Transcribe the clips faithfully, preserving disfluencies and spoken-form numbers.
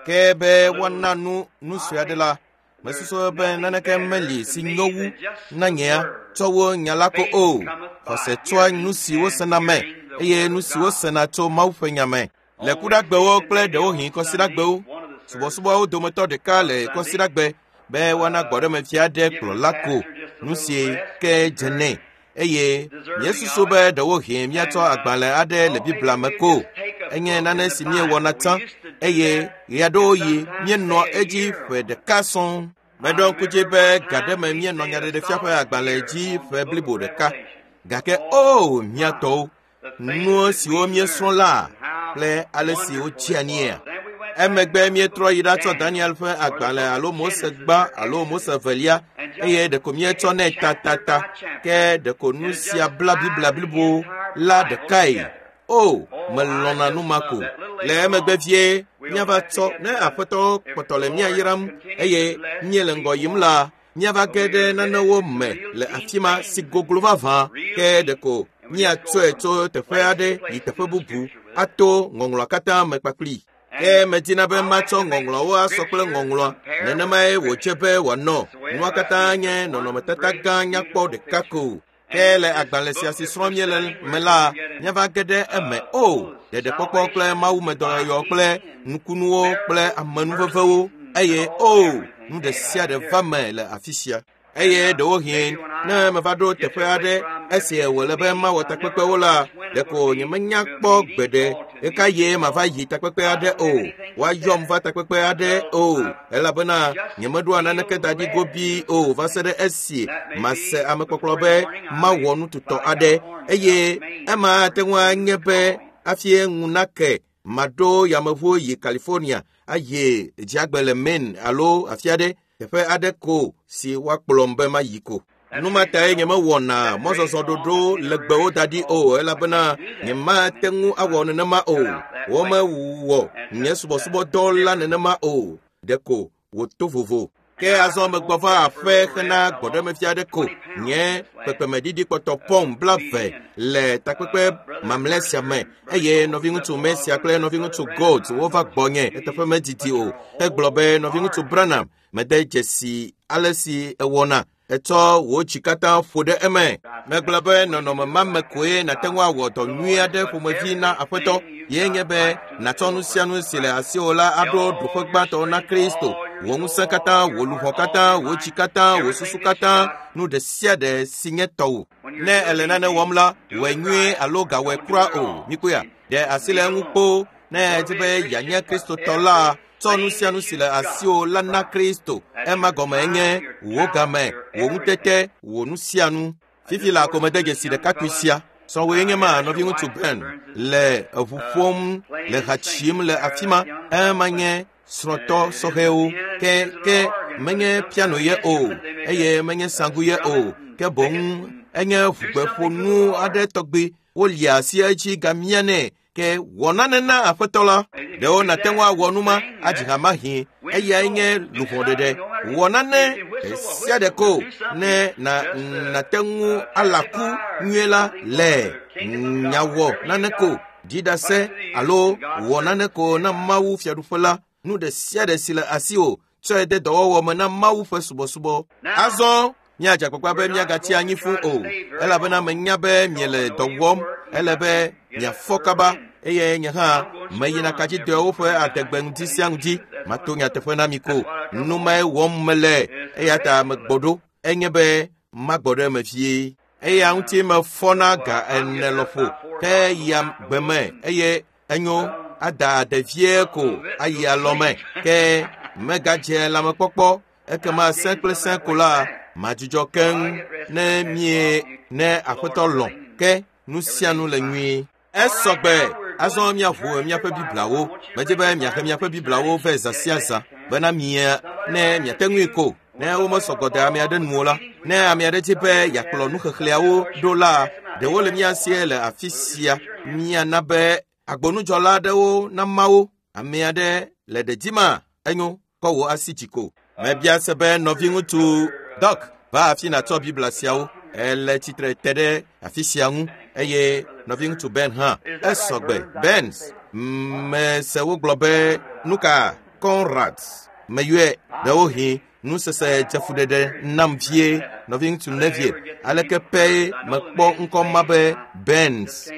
Ke be woana nu nu sue aɖe la, mesusu be naneke meli si nyo wu na nyea tsɔ wu nya la ko o. Xɔse tsoa nu si wosena me eye nu si wosena tso Mawu ƒe nya me. Le kuɖagbewo kple ɖewohĩ kɔsiɖagbewo, subɔsubɔawo dometɔ ɖeka le kɔsiɖagbe be woana gbɔɖemefia aɖe kplɔla ko nu si ke dze nɛ. Eye míesusu be ɖewohĩ míatsɔ agbalẽ aɖe le Biblia me ko. Enye nane si míewɔna tsã eye ɣeaɖewoɣi míenɔa edzi ƒe ɖeka sɔŋ. Meɖo ŋku dzi be ga ɖe me míenɔ nyaɖeɖefia ƒe agbalẽ dzi ƒe blibo ɖeka. Gake o mía tɔwo, nu siwo míesrɔ̃ la kple ale si wotsia niea. Emegbe míetrɔ yi ɖatsɔ Daniel ƒe agbalẽ alo Mose gbã alo Mose velia eye ɖeko míetsɔ nɛ tatata ke ɖeko nu sia bla Biblia blibo la ɖekae. O, melɔ̃na nu ma ko. Le emegbe vie míava tsɔ ne aƒetɔ kpɔtɔ le mía yram eye míele ŋgɔ yim la, míava ge ɖe nanewo me le afi ma si goglo vavã ke ɖeko míatsɔe tso teƒe aɖe yi teƒe bubu ato ŋɔŋlɔa katã me kpakpli. Ke medina be matsɔ ŋɔŋlɔawo asɔ kple ŋɔŋlɔa nenemae wòdze be wòanɔ. Nua katã nye nɔnɔmetata gã nyakpɔ ɖeka ko. Ke le agbalẽ sia si srɔ̃m míele me la, míava ge ɖe eme o. Ɖeɖekpɔkpɔ kple mawumedɔyɔyɔ kple nukunuwo kple amenuvevewo eye o nu ɖe sia ɖe va me le afi sia. Eye ɖewohĩ ne meva ɖo teƒe aɖe esi wòle be mawɔ takpekpewo la, ɖeko nyemenya kpɔ gbeɖe ɣeka ye mava yi takpekpe aɖe o. Woayɔm va takpekpe aɖe o elabena nyemeɖoa naneke da ɖi gobii o va se ɖe esi mase amekpɔkplɔ be mawɔ nu tutɔ aɖe eye ema ate ŋu anye be hafi ŋu nake maɖo yameʋu yi California ayi dziagbe le Maine alo afi aɖe teƒe aɖe ko si woakplɔm be mayi ko. Nu ma tae nyemewɔna mɔzɔzɔ ɖoɖo legbewo da ɖi o elabena nyemate ŋu awɔ nenema o. Womewɔ nye subɔsubɔdɔ la nenema o. Ɖeko wòto vovo. Ke azɔ megbɔ va aƒe hena gbɔɖemefia aɖe ko. Nye kpekpemeɖiɖi kpɔtɔ pɔm blaeve le takpekpe mamlɛ sia me eye nɔviŋutsu Mesia kple nɔviŋutsu Gold wova gbɔnye eteƒe medidi o. Egblɔ be nɔviŋutsu Branham mede dzesi ale si ewɔna. Etsɔ wò dzi katã ƒo ɖe eme. Megblɔ be nɔnɔme ma me koe nàte ŋu awɔ dɔ nyui aɖe ƒomevi na aƒetɔ. Ye nye be nàtsɔ nu sia nu si le asiwò la aɖo ɖoƒe gbãtɔ na Kristo. Wò ŋusẽ katã, wò luʋɔ katã, wò dzi katã, wò susu katã, nu ɖe sia ɖe si nye tɔwò. Ne èle nane wɔm la, wɔe nyuie alo gawɔe kura o. Mikpɔea, ɖe asi le eŋu kpoo. Ne èdi be yeanye Kristotɔ la, tsɔ nu sia nu si le asiwò la na Kristo. Ema gɔme nye wò game, wò ŋutete, wò nu sia nu. Fifi la ko mede dzesi ɖekakpui sia. Srɔ̃wòe nye ma nɔviŋutsu Ben le eʋu ƒom le ha tsim le afi ma. Ema nye srɔ̃tɔ sɔhɛwo. Ke ke menye piano ye o eye menye sanku ye o. Ke boŋ enye ʋugbeƒonu aɖe tɔgbi. Wolia asi edzi gamia nɛ. Ke wɔ nane na aƒetɔ la. Ɖewo nàte ŋu awɔ nu ma adzi ha mahĩ eyae nye luʋɔ ɖeɖe. Wɔ nane ɖe sia ɖe ko ne na nàte ŋu alaku nyuie la le nyawɔ nane ko dziɖase alo wɔ nane ko na Mawu fiaɖuƒe la. Nu ɖe sia ɖe si le asiwò tsɔe de dɔwɔwɔ me na Mawu ƒe subɔsubɔ. Azɔ míadze agbagba be míagatsi anyi fũu o elabena menya be miele dɔ wɔm. Ele be miafɔ kaba eye nye hã meyina kadzidɔawo ƒe adegbe ŋdi sia ŋdi. Mato nyateƒe na mi ko. Nu mae wɔm mele eya ta megbɔ ɖo. Enye be magbɔ ɖe eme vie. Eya ŋuti mefɔna ga ene lɔƒo ke yia gbe me eye enyo ada ade vie ko ayi alɔme ke megadze lãmekpɔkpɔ ekema sẽ kple sẽ ko la madzudzɔ keŋ ne mie ne aƒetɔ lɔ̃ ke nu sia nu le nyuie. Esɔgbe azɔ míaʋu míaƒe Bibliawo. Medzi be miahe miaƒe Bibliawo vɛ zã sia zã bena mia ne miate ŋui ko. Ne womesɔgbɔ de ame aɖe nu o la, ne ame aɖe dzi be yeakplɔ nuxexlẽawo ɖo la, ɖewo le mía sie le afi sia. Míana be agbonudzɔla aɖewo nama wo. Ame aɖe le ɖe dzima enyo kɔ wò asi dzi ko. Mebia se be nɔviŋutsu Doc va afi nàtsɔ Biblia siawo. Ele tsitre te ɖe afi sia ŋu eye nɔviŋutsu Ben hã. Esɔgbe. Ben, Mese wogblɔ be nu ka Conrad meyɔe ɖewohĩ nusese dzefuɖeɖe nam vie nɔviŋutsu Neville aleke pɛ mekpɔ ŋkɔ ma be Benz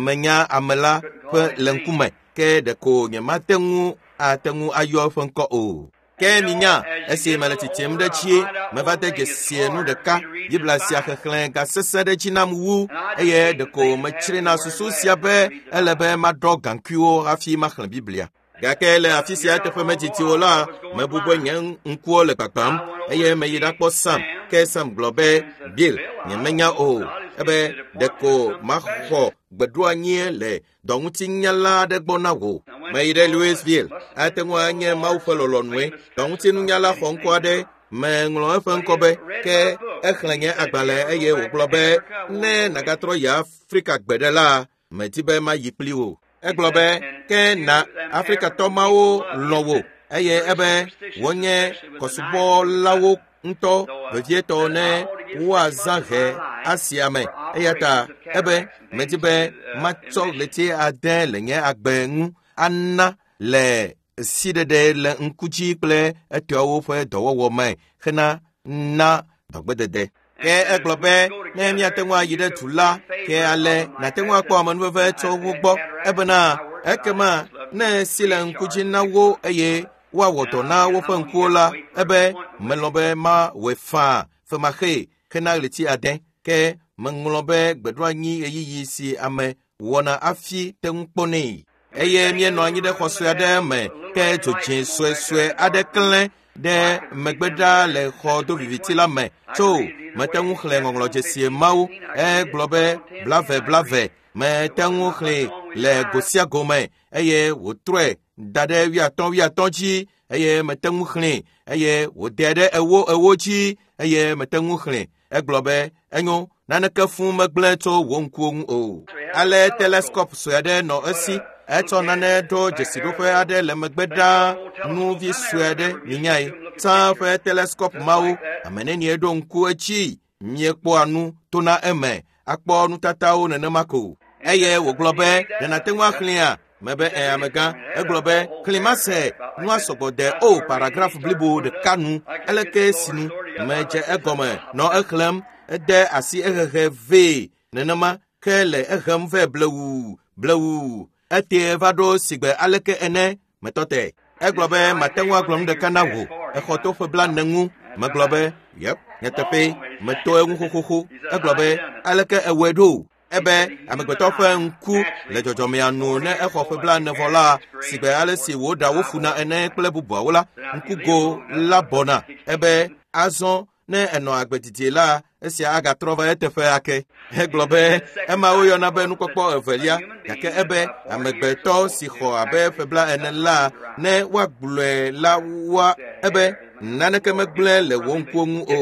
menya ame la ƒe le ŋkume ke ɖeko nyemate ŋu ate ŋu ayɔ eƒe ŋkɔ o. Ke minya esi mele tsitsim ɖe tsie meva de dzesie nu ɖeka Biblia sia xexlẽ gasesẽ ɖe dzi nam wu eye ɖeko metsrina susu sia be ele be maɖɔ gaŋkuiwo hafi maxlẽ Biblia. Gake le afi sia teƒe medzidzi o la mebu be nye ŋkuwo le gbagbam eye meyi ɖakpɔ Sam ke Sam gblɔ be Bill nyemenya o ebe ɖeko maxɔ gbeɖoanyie le dɔŋutinyala aɖe gbɔ na wò. Meyi ɖe Louisville ate ŋu anye Mawu ƒe lɔlɔ̃nue dɔŋutinunyala xɔ ŋkɔ aɖe meŋlɔ eƒe ŋkɔ be ke exlẽ nye agbalẽ eye wògblɔ be ne nàgatrɔ yi Afrika gbe ɖe la medi be mayi kpli wò. Egblɔ be ke na Afrikatɔ mawo lɔ̃ wò eye ebe wonye kɔsubɔlawo ŋutɔ vevietɔ ne woazã he asia me eya ta ebe medi be matsɔ ɣleti ade le nye agbe ŋu ana le siɖeɖe le ŋku dzi kple etɔawo ƒe dɔwɔwɔ me hena na dɔgbedede. Ke egblɔ be ne míate ŋu ayi ɖe du la ke ale nàte ŋu akpɔ amenuveve tso wo gbɔ ebena ekema ne si le ŋku dzi na wo eye woawɔ dɔ na woƒe ŋkuwo la ebe melɔ̃ be mawɔe faa femaxee hena ɣleti ade ke meŋlɔ be gbeɖoanyi ɣeyiɣi si ame wɔna hafi te ŋu kpɔnɛ. Eye míenɔ anyi ɖe xɔ sue aɖe me ke dzodzẽ suesue aɖe klẽ ɖe megbe ɖa le xɔ doviviti la me tso mete ŋu xlẽ ŋɔŋlɔdzesie mawo egblɔ be blave blave mete ŋu xlẽ le go sia go me eye wòtrɔe da ɖe wuiatɔ̃ wuiatɔ̃ dzi eye mete ŋu xlẽ eye wòdae ɖe ewo ewo dzi eye mete ŋu xlẽ egblɔ be enyo naneke fũ megblẽ tso wò ŋkuwo ŋu o. Ale teleskop sue aɖe nɔ esi etsɔ nane ɖo dzesiɖoƒe aɖe le megbe ɖaa nuvi sue aɖe minyae tsã ƒe teleskop mawo ame nenie ɖo ŋku edzi miekpɔa nu tona eme akpɔ nutatawo nenema ko. Eye wògblɔ be ɖe nàte ŋu axlẽa mebe ẽ amegã egblɔ be xlẽ mase nua sɔgbɔ de o paragraf blibo ɖeka nu eleke sinu medze egɔme nɔ exlẽm ede asi ehehe vee nenema ke le ehem vɛ blewu blewu ete va ɖo sigbe aleke ene metɔ te. Egblɔ be mate ŋu agblɔ nu ɖeka na wò exɔ to ƒe blaene ŋu megblɔ be yep nyateƒe meto eŋu xoxoxo. Egblɔ be aleke ewɔe ɖo ebe amegbetɔ ƒe ŋku le dzɔdzɔmea nu ne exɔ ƒe blaene vɔ la sigbe ale si wòɖa wo funa ene kple bubuawo la ŋkugo la bɔna ebe azɔ ne enɔ agbe didi la esia agatrɔ va eteƒe ake. Egblɔ be ema woyɔna be nukpɔkpɔ evelia gake ebe amegbetɔ si xɔ abe ƒe blaene la ne woagblɔe la woa ebe naneke megblẽ le wò ŋkuwo ŋu o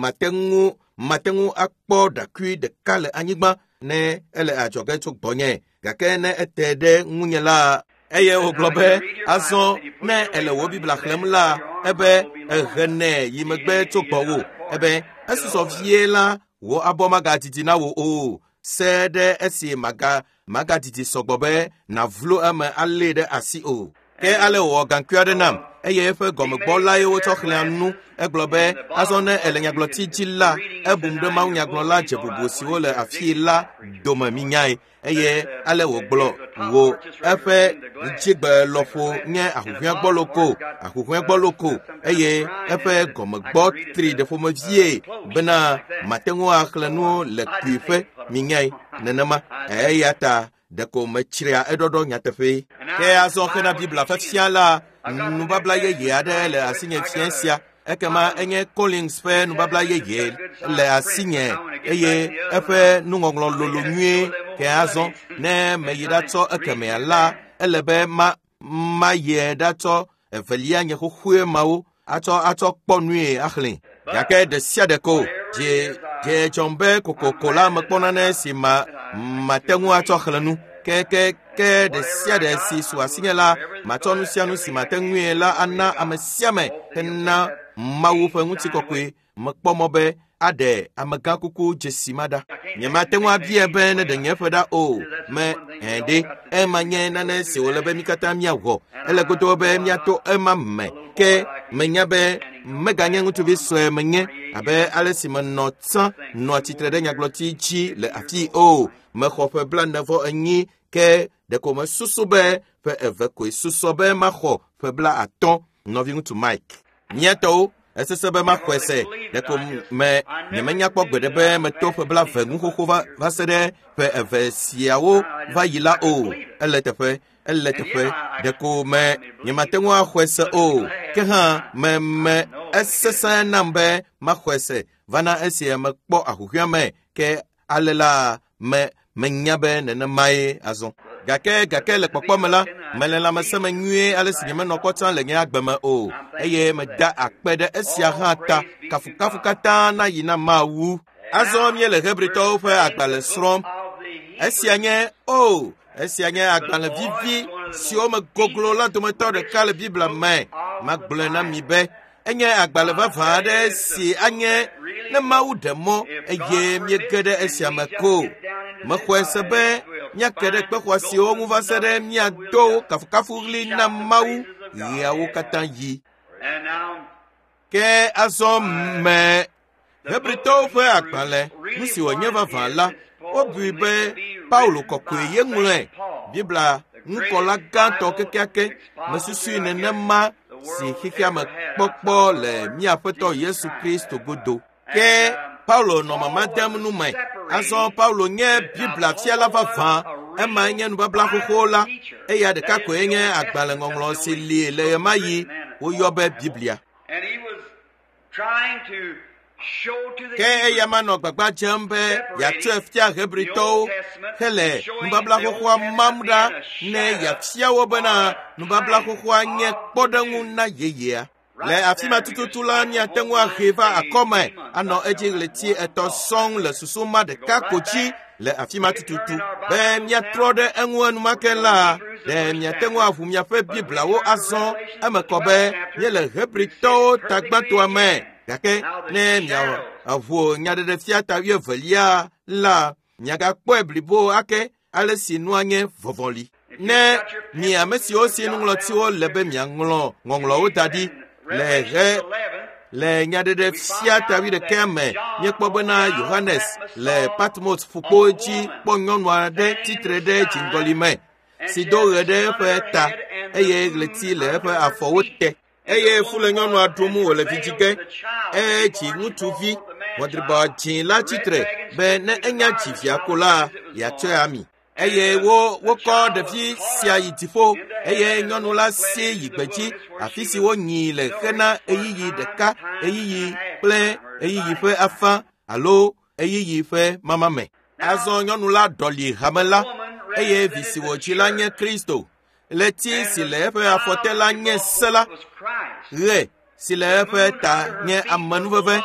mate ŋu mate ŋu akpɔ ɖakui ɖeka le anyigba ne ele adzɔge tso gbɔnye gake ne ete ɖe ŋunye la eye wògblɔ be azɔ ne ele wò Biblia xlẽm la ebe ehenɛ yi megbe tso gbɔwò ebe esusɔ vie la wò abɔ magadidi na wò o se ɖe esi maga magadidi sɔgbɔ be nàvlo eme alée ɖe asi o. Ke ale wòwɔ gaŋkui aɖe nam eye eƒe gɔmegbɔ lae wotsɔ xlẽa nu. Egblɔ be azɔ ne ele nyagblɔti dzi la ebum ɖe mawunyagblɔla dze bubu siwo le afii la dome minyae eye ale wògblɔ wò eƒe dzigbe lɔƒo nye ahuhɔ̃egbɔloko ahuhɔ̃egbɔloko eye eƒe gɔmegbɔ tri ɖe ƒomevie bena mate ŋu axlẽ nu le kpuiƒe minyae nenema eya ta ɖeko metsria eɖɔɖɔ nyateƒe. Ke azɔ xena Biblia ƒe fia la nubabla yeye aɖe le asinye fia sia ekema enye Collins ƒe nubabla yeye le asinye eye eƒe nuŋɔŋlɔ lolo nyuie ke azɔ ne meyi ɖatsɔ ekemea la ele be ma mayie ɖatsɔ evelia nye xoxoe mawo atsɔ atsɔ kpɔ nue axlẽ gake ɖe sia ɖe ko dze dze dzɔm be kokoko la mekpɔ nane si ma mate ŋu atsɔ xlẽ nu ke ke ke ɖe sia ɖe si su asinye la matsɔ nu sia nu si mate ŋue la ana ame sia ame hena Mawu ƒe ŋutikɔkɔe mekpɔ mɔ be aɖe amegãkuku dzesi ma ɖa. Nyemate ŋu abia be ne ɖe nye ƒe ɖa o. Me hẽ ɖe ema nye nane si wòle be mí katã míawɔ. Ele godoo be míato ema me. Ke menya be meganye ŋutsuvi sue menye abe ale si menɔ tsã nɔa tsitre ɖe nyagblɔti dzi le afii o. Mexɔ ƒe blaene vɔ enyi ke ɖeko mesusu be ƒe eve koe susɔ be maxɔ ƒe bla atɔ̃. Nɔviŋutsu Mike, mía tɔwo esesẽ be maxɔe se ɖeko me nyemenya kpɔ gbeɖe be meto ƒe bla eve ŋu xoxo va va se ɖe ƒe eve siawo va yi la o. Ele teƒe, ele teƒe ɖeko me nyemate ŋu axɔe se o. Ke hã me me esesẽ nam be maxɔe se vana esia mekpɔ ahuhɔ̃ea me ke ale la me menya be nenemae azɔ. Gake gake le kpɔkpɔ me la, mele lãmesẽ me nyuie ale si nyemenɔ kpɔ tsã le nye agbe me o. Eye meda akpe ɖe esia hã ta. Kafukafu katã na yi na Mawu. Azɔ míele Hebritɔwo ƒe agbalẽ srɔ̃m. Esia nye o, esia nye agbalẽ vivi siwo me goglo la dometɔ ɖeka le Biblia me. Magblɔe na mi be enye agbalẽ vavã aɖe si anye ne Mawu ɖe mɔ eye míege ɖe esia me ko. Mexɔe se be míake ɖe kpe xɔasiwo ŋu va se ɖe míado kafukafuɣli na Mawu ɣeawo katã yi. Ke azɔ me Hebritɔwo ƒe agbalẽ nu si wònye vavã la, wobui be Paulo kɔkɔe ye ŋlɔe. Biblia ŋukɔla gãtɔ kekeake mesusui nenema si xexea me kpɔkpɔ le mía Aƒetɔ Yesu Kristo godo. Ke Paulo nɔ mama dem nu me. Azɔ Paulo nye Biblia fiala vavã. Ema nye nubabla xoxo la. Eya ɖeka koe nye agbalẽ ŋɔŋlɔ si li le ɣemaɣi woyɔ be Biblia. And he was trying to show to the Ke eya ma nɔ gbagba dzem be yeatsɔe fia Hebritɔwo hele nubabla xoxoa mam ɖa ne yeafia wo bena nubabla xoxoa nye kpɔɖeŋu na yeyea. Le afi ma tututu la, míate ŋu ahee va akɔme anɔ edzi ɣleti etɔ̃ sɔŋ le susu ma ɖeka ko dzi le afi ma tututu. Be míatrɔ ɖe eŋu enumake la, ɖe miate ŋu aʋu miaƒe Bibliawo azɔ eme kɔ be míele Hebritɔwo tagbãtɔa me. Gake ne miaʋu nyaɖeɖefia ta wuievelia la, miagakpɔe blibo ake ale si nua nye vɔvɔli. Ne mi ame siwo si nuŋlɔtiwo le be miaŋlɔ ŋɔŋlɔwo da ɖi le he le nyaɖeɖefia ta wuiɖekea me, míekpɔ bena Yohanes le Patmos ƒukpo dzi kpɔ nyɔnu aɖe tsitre ɖe dziŋgɔli me si do ɣe ɖe eƒe ta eye ɣleti le eƒe afɔwo te. Eye fu le nyɔnua ɖum wòle vi dzi ge. Edzi ŋutsuvi ʋɔdribɔ dzĩ la tsitre be ne enya dzi via ko la, yeatsɔe ami. Eye wo wokɔ ɖevi sia yi dziƒo eye nyɔnu la si yi gbedzi afi si wonyii le hena ɣeyiɣi ɖeka, ɣeyiɣi kple ɣeyiɣi ƒe afã alo ɣeyiɣi ƒe mama me. Azɔ nyɔnu la ɖɔli hame la eye vi si wòdzi la nye Kristo. Ɣleti si le eƒe afɔte la nye se la. Ɣe si le eƒe ta nye amenuveve.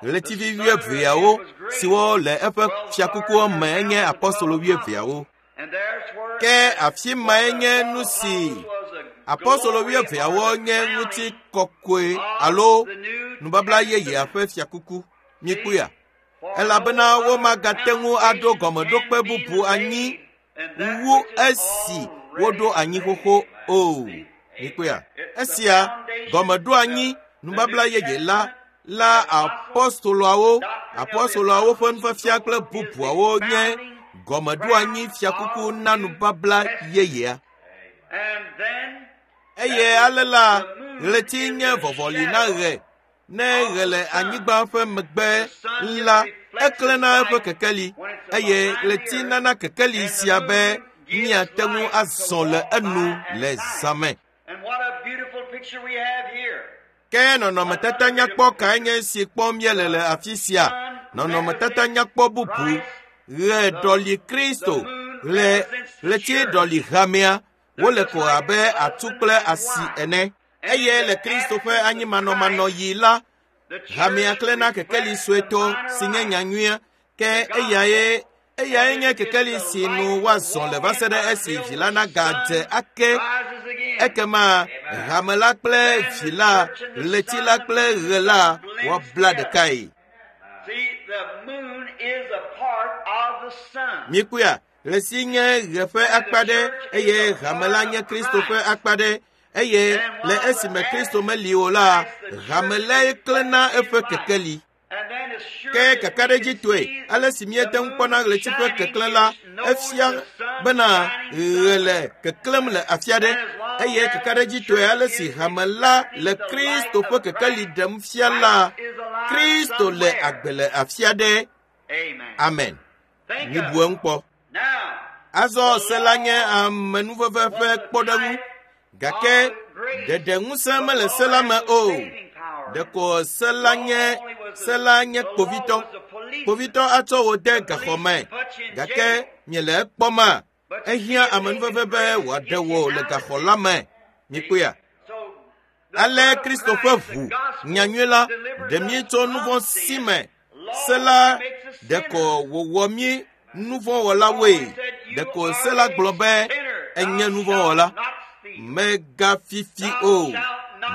Ɣletivi wuieveawo siwo le eƒe fiakukuwo me nye apɔstolo wuieveawo. Ke afi mae nye nu si apɔstolo wuieveawo nye ŋutikɔkɔe alo nubabla yeyea ƒe fiakuku. Mikpɔea? Elabena womagate ŋu aɖo gɔmeɖokpe bubu anyi wu esi woɖo anyi xoxo o. Mikpɔea? Esia gɔmeɖoanyi nubabla yeye la la apɔstoloawo apɔstoloawo ƒe nufiafia kple bubuawo nye gɔmeɖoanyi fiakuku na nubabla yeyea. And then Eye ale la, ɣleti nye vɔvɔli na ɣe. Ne ɣe le anyigba ƒe megbe la, eklẽna eƒe kekeli eye ɣleti nana kekeli sia be míate ŋu azɔ le enu le zã me. And what a beautiful picture we have here. Ke nɔnɔmetata nyakpɔ kae nye esi kpɔm míele le afi sia? Nɔnɔmetata nyakpɔ bubu. Ɣe ɖɔli Kristo, ɣle ɣleti ɖɔli hamea. Wole ko abe atu kple asi ene. Eye le Kristo ƒe anyimanɔmanɔɣi la, hamea klẽna kekeli suetɔ si nye nyanyuia. Ke eyae eyae nye kekeli si nu woazɔ le va se ɖe esi vi la nagadze ake. Rises again. Ekema hame la kple vi la, ɣleti la kple ɣe la woabla ɖekae. See, Mikpɔa, ɣleti nye ɣe ƒe akpa ɖe eye hame la nye Kristo ƒe akpa ɖe eye le esime Kristo meli o la, hame lae klẽna eƒe kekeli. Ke kakaɖedzitɔe, ale si míete ŋu kpɔna ɣleti ƒe keklẽ la, efia bena ɣe le keklẽm le afi aɖe eye kakaɖedzitɔe ale si hame la le Kristo ƒe kekeli ɖem fia la, Kristo le agbe le afi aɖe. Amen. Mibu eŋu kpɔ. Azɔ se la nye amenuveve ƒe kpɔɖeŋu gake ɖeɖe ŋusẽ mele se la me o. Ɖeko se la nye se la nye kpovitɔ. Kpovitɔ atsɔ wò de gaxɔ me gake miele ekpɔma ehiã amenuveve be wòaɖe wò le gaxɔ la me. Mikpɔea? Ale Kristo ƒe ʋu nyanyui la ɖe mí tso nu vɔ̃ si me. Se la ɖeko wòwɔ mí nuvɔ̃wɔlawoe. Ɖeko se la gblɔ be enye nuvɔ̃wɔla. Mègafifi o,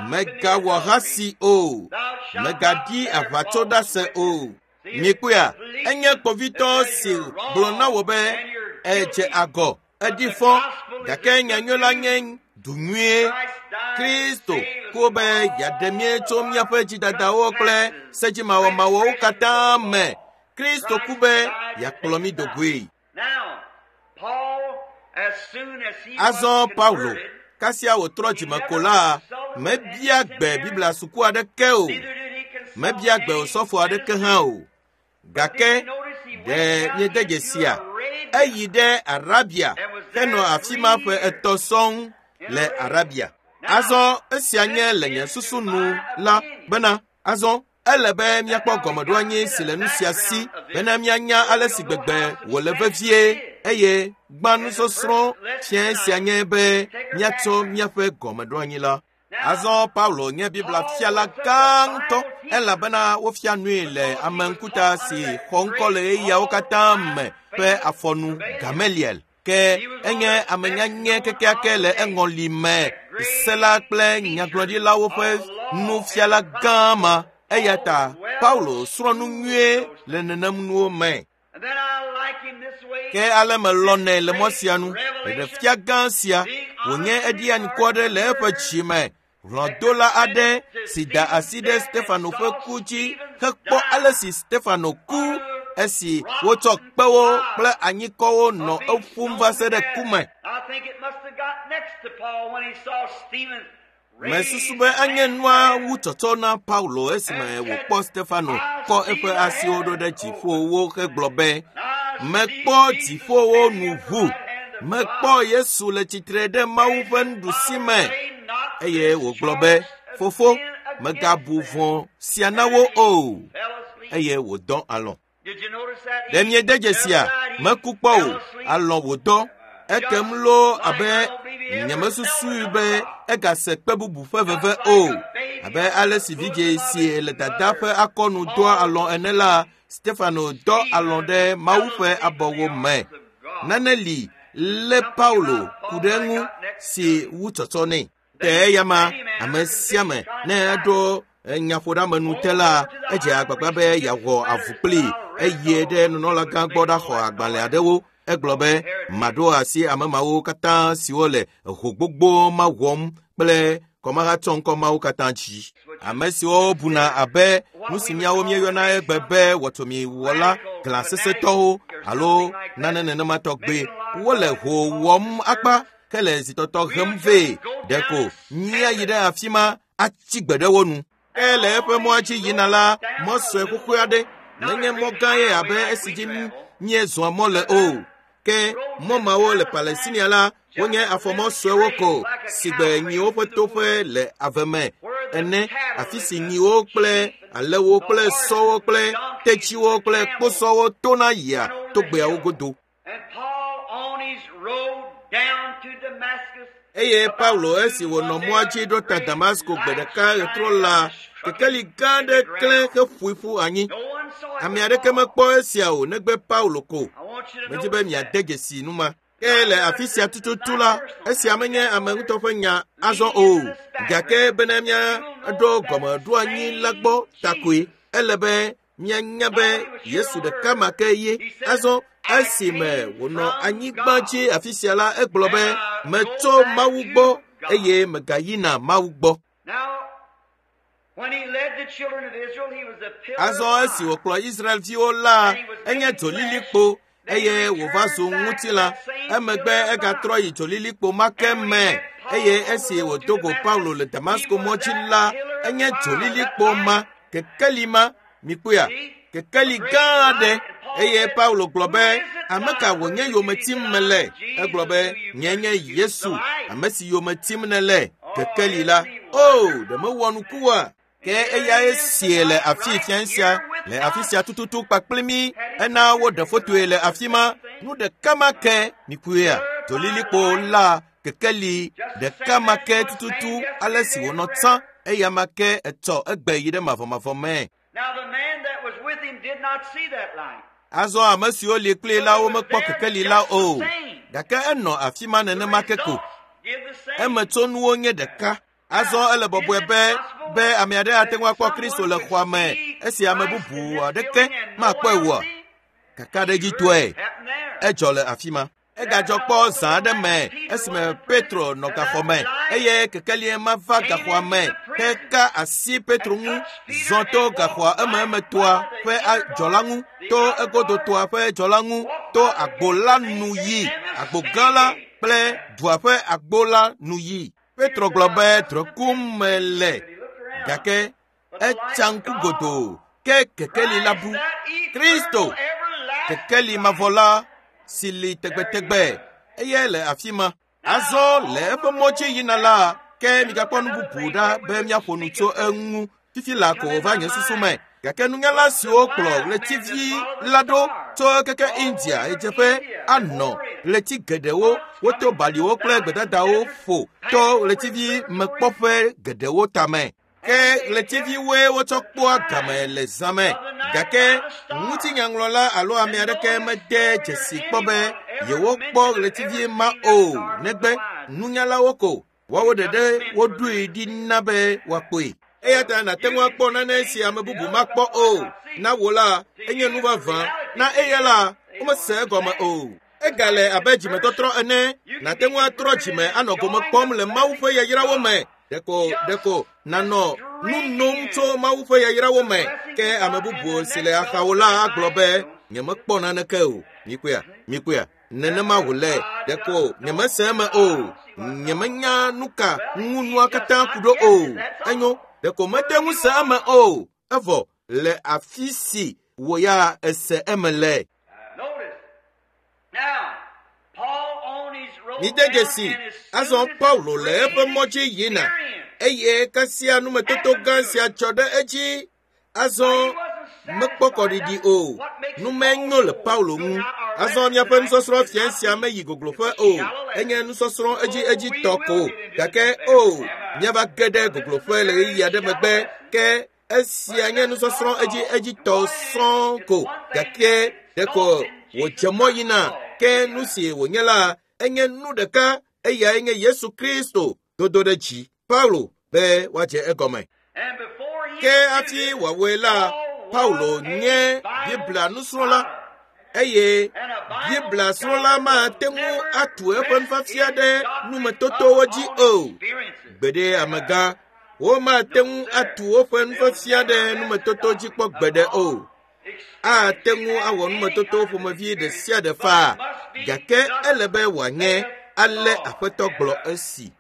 mègawɔ hasi o, mègaɖi aʋatsoɖase o. Mikpɔea, enye kpovitɔ si gblɔ na wò be edze agɔ, eɖi fɔ gake nyanyui la nye du nyuie. Kristo ku be yeaɖe mí tso míaƒe dzidadawo kple sedzimawɔmawɔwo katã me. Kristo ku be yeakplɔ mí do goe. Azɔ Paulo, kasia wòtrɔ dzime ko la, mebia gbe Biblia suku aɖeke o. Mebia gbe osɔfo aɖeke hã o. Gake ɖe míede dzesia? Eyi ɖe Arabia henɔ afi ma ƒe etɔ̃ sɔŋ le Arabia. Azɔ esia nye le nye susu nu la bena azɔ ele be míakpɔ gɔmeɖoanyi si le nu sia si bena míanya ale si gbegbe wòle vevie eye gbã nusɔsrɔ̃ fia sia nye be míatsɔ míaƒe gɔmeɖoanyi la. Azɔ Paulo nye Biblia fiala gã ŋutɔ elabena wofia nui le ame ŋkuta si xɔ ŋkɔ le ɣeyiɣiawo katã me ƒe afɔnu Gamaliel. Ke enye ame nyanyɛ kekeake le eŋɔli me, sela kple nyagblɔɖilawo ƒe nufiala gã ma. Eya ta Paulo srɔ̃ nu nyuie le nenem nuwo me. Ke ale melɔnɛ le mɔ sia nu, ɖeɖefia gã sia wònye eɖi anikɔ aɖe le eƒe dzi me. Hlɔ̃dola aɖe si da asi ɖe Stefano ƒe ku dzi hekpɔ ale si Stefano ku esi wotsɔ kpewo kple anyikɔwo nɔ eƒum va se ɖe ku me. Mesusu be anye nua wu tsɔtsɔ na Paulo esime wòkpɔ Stefano kɔ eƒe asiwo ɖo ɖe dziƒowo hegblɔ be, mekpɔ dziƒowo nu ʋu, mekpɔ Yesu le tsitre ɖe Mawu ƒe nuɖusi me. Eye wògblɔ be, fofo, mègabu vɔ̃ sia na wo o. Eye wòdɔ alɔ̃. Ɖe miede dzesia? Meku kpɔ o, alɔ̃ wòdɔ. Ekem loo abe nyemesusui be egase kpe bubu ƒe veve o. Abe ale si vidzĩ si le dada ƒe akɔnu dɔa alɔ̃ ene la, Stefano dɔ alɔ̃ ɖe Mawu ƒe abɔwo me. Nane li lé Paulo ku ɖe eŋu si wu tsɔtsɔ nɛ. Te eya ma, ame sia ame ne eɖo nyaƒoɖeamenu te la, edze agbagba be yeawɔ avu kplii eye ɖe nunɔlagã gbɔ ɖaxɔ agbalẽ aɖewo. Egblɔ be maɖo asi ame mawo katã siwo le ho gbogbo ma wɔm kple kɔmahatsɔŋkɔ mawo katã dzi. Ame siwo buna abe nu si míawo míeyɔna egbe be wɔtomiwɔla glãsesetɔwo alo nane nenema tɔgbe wole ho wɔm akpa ke le zitɔtɔ hem vɛ. Ɖeko míayi ɖe afi ma atsi gbe ɖe wo nu. Ke le eƒe mɔa dzi yina la, mɔ sue xoxo aɖe menye mɔ gã ye abe esi dzi míezɔa mɔ le o. Ke mɔ mawo le Palestinia la, wonye afɔmɔ suewo ko si gbe nyiwo ƒe toƒe le ave me ene, afi si nyiwo kple alẽwo kple sɔwo kple tetsiwo kple kposɔwo tona yia togbeawo godo. Eye Paulo esi wònɔ mɔa dzi ɖo ta Damasko gbe ɖeka ɣetrɔ la, kekeli gã aɖe klẽ heƒoe ƒu anyi. Ame aɖeke mekpɔ esia o negbe Paulo ko. Medi be miade dzesi nu ma. Ke le afi sia tututu la, esia menye ame ŋutɔ ƒe nya azɔ o. Gake bena míaɖo gɔmeɖoanyi la gbɔ takoe, ele be Mianya be Yesu ɖeka ma ke ye. Azɔ esime wònɔ anyigba dzi afi sia la, egblɔ be metso Mawu gbɔ eye megayina Mawu gbɔ. Azɔ esi wòkplɔ Israelviwo la, enye dzolilikpo eye wòva zu ŋutilã. Emegbe egatrɔ yi dzolilikpo ma ke me eye esi wòdo go Paulo le Damasko mɔ dzi la, enye dzolilikpo ma, kekeli ma, mikpɔea, kekeli gã aɖe. Eye Paulo gblɔ be, ame ka wònye yome tim mele? Egblɔ be, nye nye Yesu, ame si yome tim nele, kekeli la. O, ɖe mewɔ nuku oa? Ke eyae sie le afi fia sia, le afi sia tututu kpakple mí. Ena woɖe fotoe le afi ma. Nu ɖeka ma ke, mikpɔea, dzolilikpo la, kekeli ɖeka ma ke tututu ale si wònɔ tsã, eya ma ke etsɔ egbe yi ɖe mavɔmavɔ me. Azɔ ame siwo li kpli la womekpɔ kekeli la o, gake enɔ afi ma nenema ke ko. Emetsonuwo nye ɖeka. Azɔ ele bɔbɔe be be ame aɖe ate ŋu akpɔ Kristo le xɔa me esi ame bubu aɖeke makpɔe oa? Kakaɖedzitɔe, edzɔ le afi ma. Egadzɔ kpɔ zã aɖe me esime Petro nɔ gaxɔ me eye kekelie ma va gaxɔa me heka asi Petro ŋu, zɔ to gaxɔa ememetoa ƒe dzɔla ŋu, to egodotoa ƒe dzɔla ŋu, to agbo la nu yi, agbo gã la kple dua ƒe agbo la nu yi. Petro gblɔ be drɔ̃e kum mele, gake etsa ŋku godoo ke kekeli la bu. Kristo, kekeli mavɔ la si li tegbetegbe, eye le afi ma. Azɔ le eƒe mɔ dzi yina la, ke migakpɔ nu bubu ɖa be míaƒo nu tso eŋu. Fifi la ko wòva nye susu me. Gake nunyala siwo kplɔ ɣletivi la ɖo tso keke India ɣedzeƒe anɔ ɣleti geɖewo, woto baliwo kple gbedadawo ƒo to ɣletivi mekpɔƒe geɖewo tame. Ke ɣletiviwoe wotsɔ kpɔa game le zã me. Gake ŋutinyaŋlɔla alo ame aɖeke mede dzesi kpɔ be yewokpɔ ɣletivi ma o, negbe nunyalawo ko. Woawo ɖeɖe woɖoe ɖi na be woakpɔe. Eya ta nàte ŋu akpɔ nane si ame bubu makpɔ o. Na wò la, enye nu vavã. Na eya la, womese egɔme o. Egale abe dzimetɔtrɔ ene. Nàte ŋu atrɔ dzime anɔ gome kpɔm le Mawu ƒe yayrawo me. Ɖeko ɖeko nànɔ nu nom tso Mawu ƒe yayrawo me. Ke ame bubu si le axawo la agblɔ be, nyemekpɔ naneke o. Mikpɔea, mikpɔea, nenema wòle. Ɖeko nyemese eme o. Nyemenya nu ka ŋu nua katã ku ɖo o. Enyo, ɖeko mete ŋu se eme o. Evɔ le afi si wò ya ese eme le. Mide dzesi, azɔ Paulo le eƒe mɔ dzi yina eye kasia numetoto gã sia tsɔ ɖe edzi. Azɔ mekpɔ kɔɖiɖi o. Nu menyo le Paulo ŋu. Azɔ míaƒe nusɔsrɔ̃ fia sia meyi gogloƒe o. Enye nusɔsrɔ̃ edzi edzi tɔ ko. Gake o, míava ge ɖe gogloƒe le ɣeyiɣi aɖe megbe. Ke esia nye nusɔsrɔ̃ edzi edzi tɔ sɔŋ ko. Gake ɖeko wòdze mɔ yina. Ke nu si wònye la, enye nu ɖeka, eyae nye Yesu Kristo dodo ɖe dzi. Paulo be woadze egɔme. Ke hafi wòawɔe la, Paulo nye Biblia nusrɔ̃la eye Biblia srɔ̃la mate ŋu atu eƒe nufiafia ɖe numetotowo dzi o. Gbeɖe amegã, womate ŋu atu woƒe nufiafia ɖe numetoto dzi kpɔ gbeɖe o. Ate ŋu awɔ numetoto ƒomevi ɖe sia ɖe faa, gake ele be wòanye ale Aƒetɔ gblɔ esi.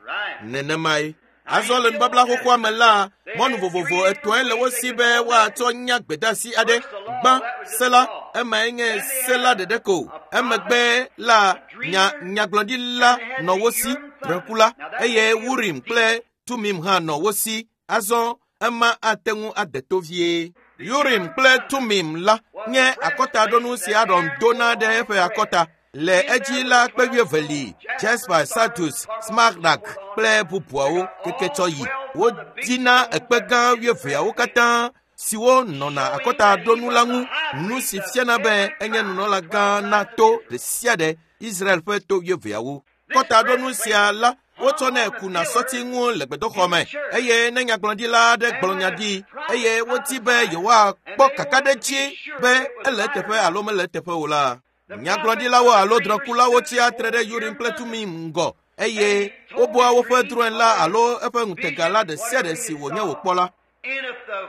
Nenemae. Azɔ le nubabla xoxoa me la, mɔnu vovovo etɔ̃e le wo si be woatsɔ nya gbedeasi aɖe. Gbã, se la, emae nye se la ɖeɖe ko. Emegbe la, nya nyagblɔɖila nɔ wo si, drɔ̃ekula, eye Urim kple Tumim hã nɔ wo si. Azɔ ema ate ŋu ade to vie. Urim kple Tumim la nye akɔtaɖonu si Aron dona ɖe eƒe akɔta. Le edzi la kpe wuieve li, Jasper, Sardius, Smaragd kple bubuawo keke tsɔ yi. Wodina ekpe gã wuieveawo katã siwo nɔna akɔtaɖonu la ŋu, nu si fiana be enye nunɔla gã na to ɖe sia ɖe, Israel ƒe to wuieveawo. Kɔtaɖonu sia la Wotsɔnɛ kuna sɔti ŋu le gbedoxɔ me eye ne nyagblɔɖila aɖe gblɔ nya ɖi eye wodi be yewoakpɔ kakaɖedzi be ele eteƒe alo mele eteƒe o la, nyagblɔɖilawo alo drɔ̃kulawo tsia tre ɖe Urim kple Tumim ŋgɔ eye wobua woƒe drɔ̃e la alo eƒe ŋutega la ɖe sia ɖe si wònye wòkpɔ la. And if the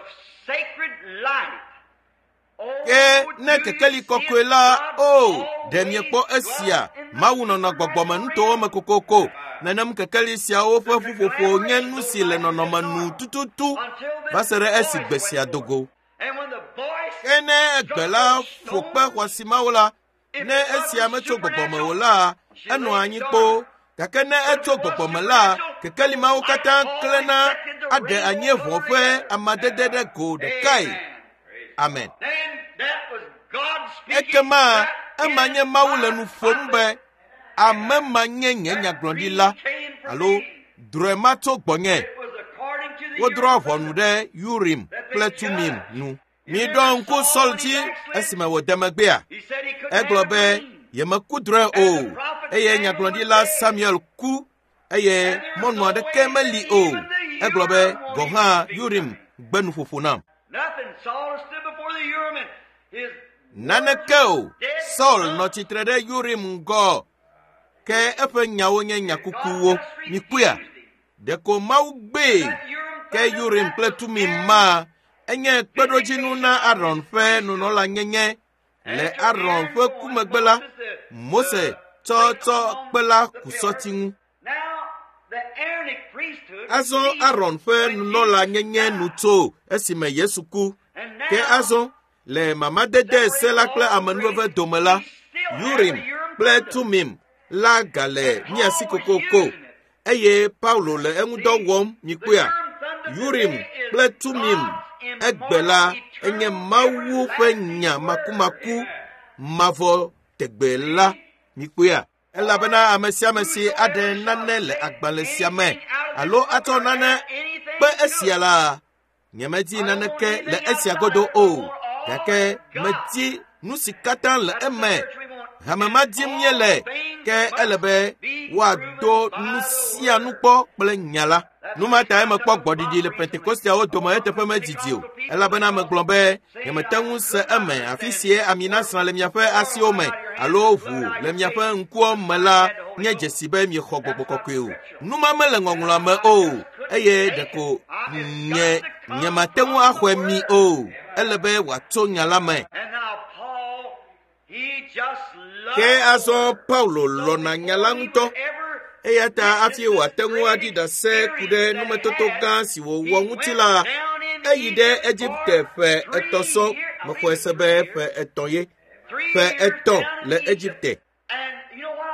sacred light, Ke ne kekeli kɔkɔe la, o, ɖe miekpɔ esia, Mawu nɔnɔ gbɔgbɔme nutowo me kokoko. Nenem kekeli siawo ƒe ƒuƒoƒo nye nu si le nɔnɔme nu tututu va se ɖe esi gbe sia do go. And when the voice Ke ne gbe la ƒo kpe xɔasi mawo la, ne esia metso gbɔgbɔme o la, enɔa anyi kpoo. Gake ne etso gbɔgbɔme la, kekeli mawo katã klẽna aɖe anyieʋɔ ƒe amadede ɖe go ɖekae. Amen. Then that was God speaking. Ekema That ema nye is Mawu le my nu ƒom be ame ma nye nye nyagblɔɖila alo drɔ̃e ma tso gbɔnye. It was according to the Wodrɔ̃ Urim ʋɔnu ɖe Urim kple Tumim nu. Miɖɔ ŋku Saul dzi esime wòde megbea. He said he couldn't Egblɔ have a be dream. yemeku drɔ̃e o eye nyagblɔɖila Samuel ku eye mɔnu aɖeke meli o. Egblɔ be gɔ̃ hã Urim gbe nuƒoƒo nam. Nothing. Saul stood before the Urim and his Naneke o. Saul nɔ tsitre ɖe Urim ŋgɔ ke eƒe nyawo nye nya kukuwo. Mikpɔea? Ɖeko Mawu gbee ke Urim kple Tumim ma enye kpeɖodzinu na Aron ƒe nunɔlanyenye. Le Aron ƒe ku megbe la, Mose tsɔ tsɔ kpe la ku sɔti ŋu. Now the Aaronic priesthood Azɔ ceased Aron ƒe when nunɔlanyenye nu tso esime Yesu ku. And Ke now azɔ le mamadede se la kple amenuveve dome la, Urim kple Tumim la gale mía si kokoko eye Paulo le eŋudɔ wɔm mikpɔea. Urim kple Tumim egbe la enye Mawu ƒe nya makumaku mavɔ tegbe la mikpɔea. Elabena ame sia ame si aɖe nane le agbalẽ sia me alo atsɔ nane kpe esia la, nyemedi naneke le esia godo o, gake medi nu si katã le eme. Hame ma dim míele, ke ele be woado nu sia nu kpɔ kple nya la. Nu ma tae mekpɔ gbɔɖiɖi le Pentekosteawo dome eteƒe medidi o, elabena megblɔ be nyemete ŋu se eme afi sie ami nasrã le miaƒe asiwo me alo ʋu le miaƒe ŋkuwo me la nye dzesi be miexɔ gbɔgbɔ kɔkɔe o. Nu ma mele ŋɔŋlɔa me o eye ɖeko nye nyemate ŋu axɔe mi o. Ele be wòatso nya la me. And now Paul, he just loved Ke azɔ Paulo lɔ̃na nya la ŋutɔ. Eya ta hafi wòate ŋu aɖi ɖase ku ɖe numetoto gã si wòwɔ ŋuti la, eyi ɖe Egipte ƒe etɔ̃ sɔ mexɔe se be ƒe etɔ̃ ye. Ƒe etɔ̃ le Egipte.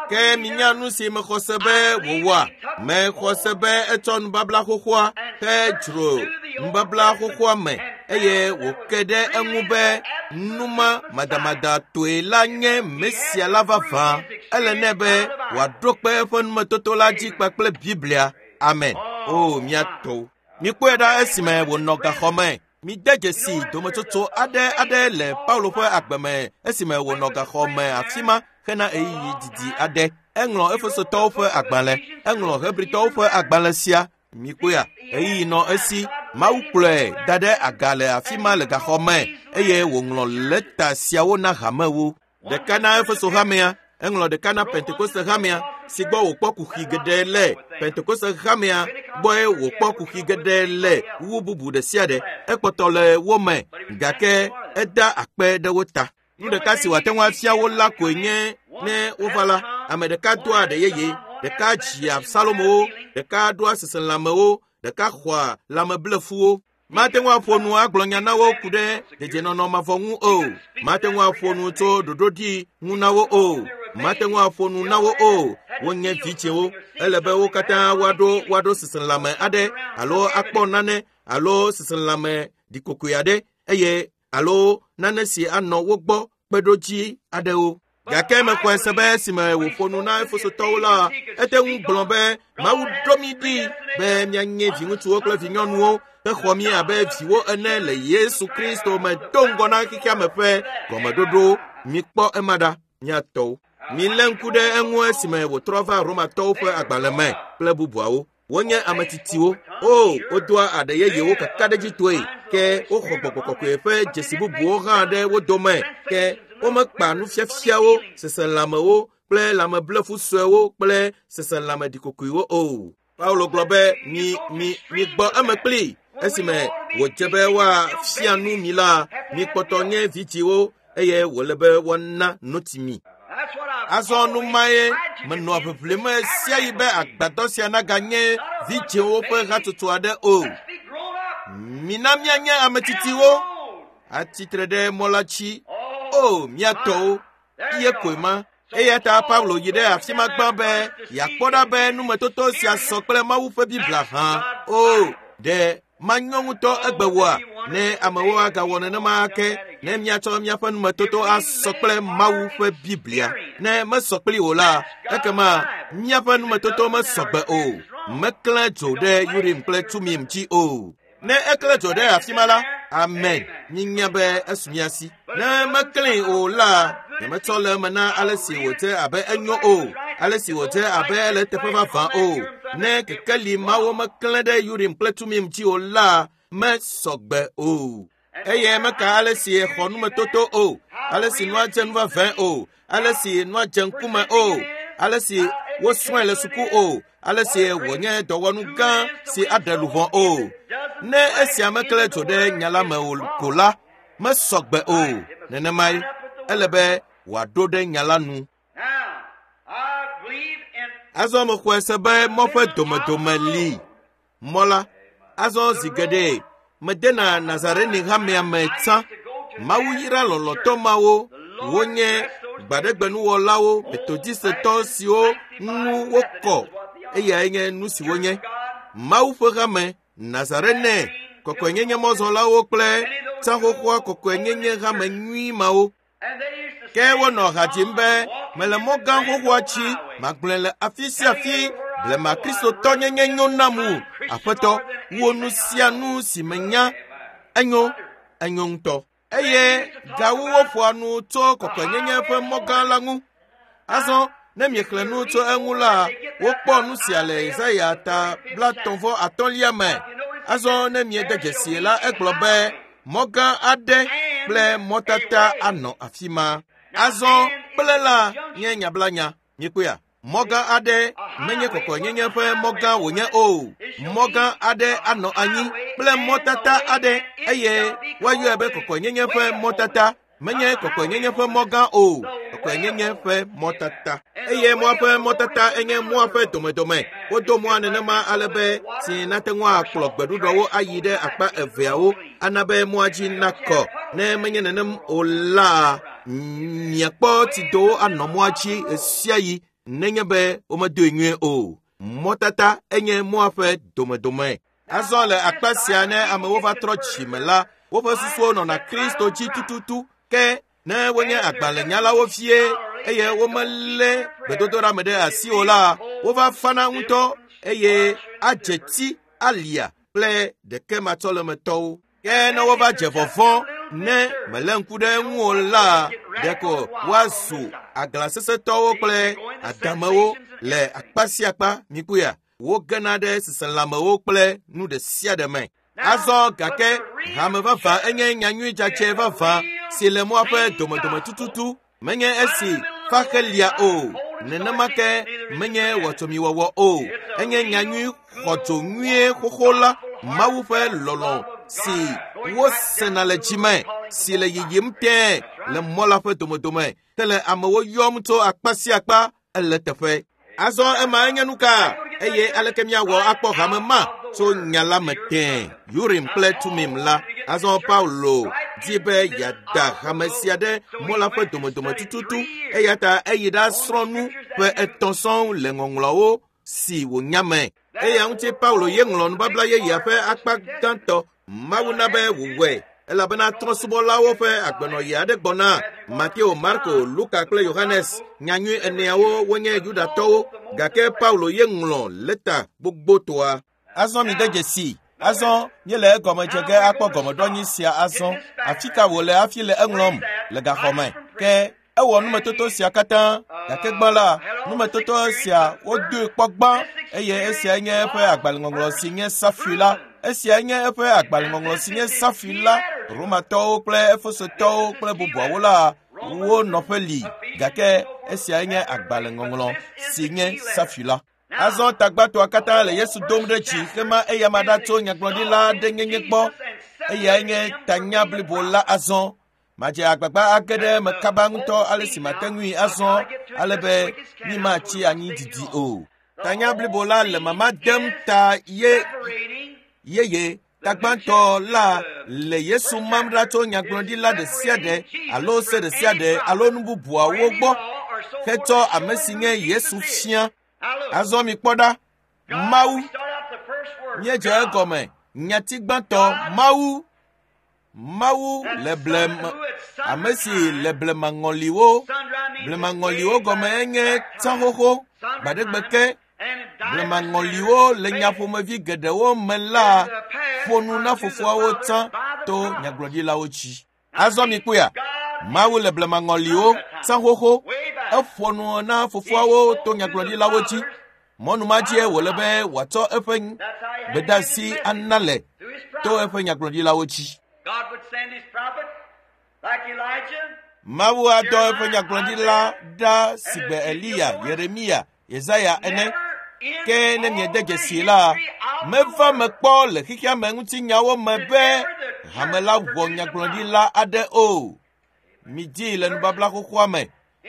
Ke minya nu si mexɔ se be wòwɔa? Mexɔ se be etsɔ nubabla xoxoa hedzro nubabla xoxoa me eye wòke ɖe eŋu be numa madamadatɔe la nye Mesia la vavã. Ele nɛ be wòaɖo kpe eƒe numetoto la dzi kpakple Biblia. Amen. O mía tɔwo. Mikpɔe ɖa esime wònɔ gaxɔ me. Mide dzesi dometsotso aɖe aɖe le Paulo ƒe agbe me esime wònɔ gaxɔ me afi ma hena ɣeyiɣi didi aɖe. Eŋlɔ Efesotɔwo ƒe agbalẽ, eŋlɔ Hebritɔwo ƒe agbalẽ sia. Mikpɔea, ɣeyiɣi nɔ esi. Mawu kplɔe da ɖe aga le afi ma le gaxɔ me eye wòŋlɔ lɛta siawo na hamewo. Ɖeka na Efeso hamea, eŋlɔ ɖeka na Pentekoste hamea si gbɔ wòkpɔ kuxi geɖe le. Pentekoste hamea gbɔe wòkpɔ kuxi geɖe le wu bubu ɖe sia ɖe. Ekpɔtɔ le wo me gake eda akpe ɖe wo ta. Nu ɖeka si wòate ŋu afia wo la koe nye ne wova la, ame ɖeka doa ɖe yeye, ɖeka dzia Salomowo, ɖeka ɖoa seselãmewo, ɖeka xɔa lãmeblefuwo. Mate ŋu aƒo nu agblɔ nya na wo ku ɖe dedienɔnɔ mavɔ ŋu o. Mate ŋu aƒo nu tso ɖoɖoɖi ŋu na wo o. Mate ŋu aƒo nu na wo o. Wonye vidzĩwo. Ele be wo katã woaɖo woaɖo seselãme aɖe alo akpɔ nane alo seselãme ɖikokoe aɖe eye alo nane si anɔ wo gbɔ kpeɖodzi aɖewo. Gake mexɔe se be esime wòƒo nu na Efesotɔwo la, ete ŋu gblɔ be Mawu ɖo mí ɖi be míanye viŋutsuwo kple vinyɔnuwo hexɔ mí abe viwo ene le Yesu Kristo me do ŋgɔ na xexea me ƒe gɔmeɖoɖo. Mikpɔ ema ɖa, mía tɔwo. Milé ŋku ɖe eŋu esime wòtrɔ va Romatɔwo ƒe agbalẽ me kple bubuawo. Wonye ame tsitsiwo. O, wodoa aɖe yeyewo kakaɖedzitɔe ke woxɔ gbɔgbɔ kɔkɔe ƒe dzesi bubuwo hã ɖe wo dome ke womekpa nufiafiawo, seselãmewo kple lãmeblefu suewo kple seselãme ɖikokoewo o. Paulo gblɔ be mi mi migbɔ eme kpli esime wòdze be woafia nu mi la, mikpɔtɔ nye vidziwo eye wòle be woana notsi mi. Azɔ nu mae menɔa ʋiʋlim sia yi be agbadɔ sia naganye vidziwo ƒe hatsotso aɖe o. Mina míanye ame tsitsiwo atsitre ɖe mɔ la dzi. O, mía tɔwo, ye koe ma. Eya ta Paulo yi ɖe afi ma gbã be yeakpɔ ɖa be numetoto sia sɔ kple Mawu ƒe Biblia hã. O, ɖe manyo ŋutɔ egbe woa ne amewo agawɔ nenema ake ne míatsɔ míaƒe numetoto asɔ kple Mawu ƒe Biblia. Ne mesɔ kpli o la, ekema míaƒe numetoto mesɔgbe o. Meklẽ dzo ɖe Urim kple Tumim dzi o. Ne eklẽ dzo ɖe afi ma la, amen, mínya be esu mía si. Ne meklẽe o la, nyemetsɔ le eme na ale si wòdze abe enyo o, ale si wòdze abe ele teƒe vavã o. Ne kekeli mawo meklẽ ɖe Urim kple Tumim dzi o la, mesɔgbe o. Eye meka ale si xɔ numetoto o, ale si nua dze nu vavãe o, ale si nua dze ŋkume o, ale si wosrɔ̃e le suku o, ale si wònye dɔwɔnu gã si aɖe luʋɔ o. Ne esia meklẽ dzo ɖe nya la me o ko la, mesɔgbe o. Nenemae ele be wòaɖo ɖe nya la nu. Azɔ mexɔe se be mɔ ƒe domedome li. Mɔ la, azɔ zi geɖe medena Nazareni hamea me tsã. Mawu yra lɔlɔ̃tɔ mawo, wonye gbaɖegbenuwɔlawo, metodistɔwo siwo ŋu wokɔ eyae nye nu si wonye. Mawu ƒe hame, Nazarene, kɔkɔenyenye mɔzɔlawo kple tsaxoxoa kɔkɔenyenye hame nyui mawo. Ke wonɔ ha dzim be mele mɔ gã xoxoa dzi, magblɔe le afi sia afi, blema kristotɔnyenye nyo nam wu. Aƒetɔ, wò nu sia nu si menya, enyo, enyo ŋutɔ. Eye gawu woƒoa nu tso kɔkɔenyenye ƒe mɔ gã la ŋu. Azɔ ne miexlẽ nu tso eŋu la, wokpɔ nu sia le Yesaya ta blaetɔ̃ vɔ atɔ̃lia me. Azɔ ne miede dzesi la, egblɔ be mɔ gã aɖe kple mɔtata anɔ afi ma. Azɔ kple la nye nyablanya. Miekpɔea? Mɔ gã aɖe menye kɔkɔenyenye ƒe mɔ gã wònye o. Mɔ gã aɖe anɔ anyi kple mɔtata aɖe eye woayɔe be kɔkɔenyenye ƒe mɔtata. Menye kɔkɔenyenye ƒe mɔ gã o, kɔkɔenyenye ƒe mɔtata. Eye mɔa ƒe mɔtata enye mɔa ƒe domedome. Wodo mɔa nenema ale be tsi nate ŋu akplɔ gbeɖuɖɔwo ayi ɖe akpa eveawo ana be mɔa dzi nakɔ. Ne menye nenem o la, miakpɔ tsidowo anɔ mɔa dzi ɣesiaɣi nenye be womedoe nyuie o. Mɔtata enye mɔa ƒe domedome. Azɔ le akpa sia ne amewo va trɔ dzime la, woƒe susuwo nɔna Kristo dzi tututu. Ke ne wonye agbalẽnyalawo vie eye womelé gbedodoɖa me ɖe asi o la, wova fana ŋutɔ eye adze ti alia kple ɖekematsɔlemetɔwo. Ke ne wova dze vɔvɔ̃ ne mele ŋku ɖe eŋu o la, ɖeko woazu aglasesẽtɔwo kple adamewo le akpa sia akpa. Mikpɔea? Wogena ɖe seselãmewo kple nu ɖe sia ɖe me. Azɔ gake hame vavã enye nyanyui dzadzɛ vavã si le mɔa ƒe domedome tututu. Menye esi faxelia o, nenema ke menye wɔtsomiwɔwɔ o. Enye nyanyui xɔdzo nyuie xoxo la, Mawu ƒe lɔlɔ̃ si wosena le dzime, si le yiyim tẽe le mɔ la ƒe domedome, ke le amewo yɔm tso akpa sia akpa ele teƒe. Azɔ ema enye nu ka? Eye aleke míawɔ akpɔ hame ma tso nya la me tẽe, Urim kple Tumim la? Azɔ Paulo di be yeada hame sia ɖe mɔ la ƒe domedome tututu, eya ta eyi ɖasrɔ̃ nu ƒe etɔ̃ sɔŋ le ŋɔŋlɔawo si wònya me. Eya ŋuti Paulo ye ŋlɔ nubabla yeyea ƒe akpa gãtɔ. Mawu na be wòwɔe elabena trɔ̃subɔlawo ƒe agbenɔɣi aɖe gbɔna. Mateo, Marko, Luka kple Yohanes nyanyui eneawo wonye Yudatɔwo, gake Paulo ye ŋlɔ lɛta gbogbotɔa. Azɔ mide dzesi. Azɔ míele egɔme dze ge akpɔ gɔmeɖoanyi sia azɔ. Afi ka wòle hafi le eŋlɔm? Le gaxɔ me. Ke Ewɔ numetoto sia katã, gake gbã la, numetoto sia wodoe kpɔ gbã eye esia nye eƒe agbalẽŋɔŋlɔ si nye safui la. Esia nye eƒe agbalẽŋɔŋlɔ si nye safui la. Romatɔwo kple Efesotɔwo kple bubuawo la wo nɔƒe li, gake esia nye agbalẽŋɔŋlɔ si nye safui la. Azɔ tagbãtɔa katã le Yesu dom ɖe dzi hema eyama ɖa tso nyagblɔɖila aɖe nyenye gbɔ. Eyae nye tanya blibo la azɔ. Madze agbagba age ɖe eme kaba ŋutɔ ale si mate ŋui azɔ ale be mímatsi anyi didi o. Tanya blibo la le mama dem ta ye yeye. Tagbãtɔ la le Yesu mam ɖa tso nyagblɔɖila ɖe sia ɖe alo se ɖe sia ɖe alo nu bubuawo gbɔ hetsɔ ame si nye Yesu fia. Azɔ mikpɔ ɖa, Mawu, míedze egɔme, nyati gbãtɔ, Mawu, Mawu le blema, ame si le blemaŋɔliwo, blemaŋɔliwo gɔme enye tsã xoxo, gbaɖegbe ke, blemaŋɔliwo le nyaƒomevi geɖewo me la ƒo nu na fofoawo tsã to nyagblɔɖilawo dzi. Azɔ mikpɔea, Mawu le blemaŋɔliwo tsã xoxo, eƒo nu na fofoawo to nyagblɔɖilawo dzi. Mɔnu ma dzie wòle be wòatsɔ eƒe gbedeasi ana le to eƒe nyagblɔɖilawo dzi. Mawu adɔ eƒe nyagblɔɖila ɖa sigbe Eliya, Yeremia, Yesaya ene. Ke ne miede dzesi la, meva me kpɔ le xexea me ŋutinyawo me be hame la wɔ nyagblɔɖila aɖe o. Midii le nubabla xoxoa me,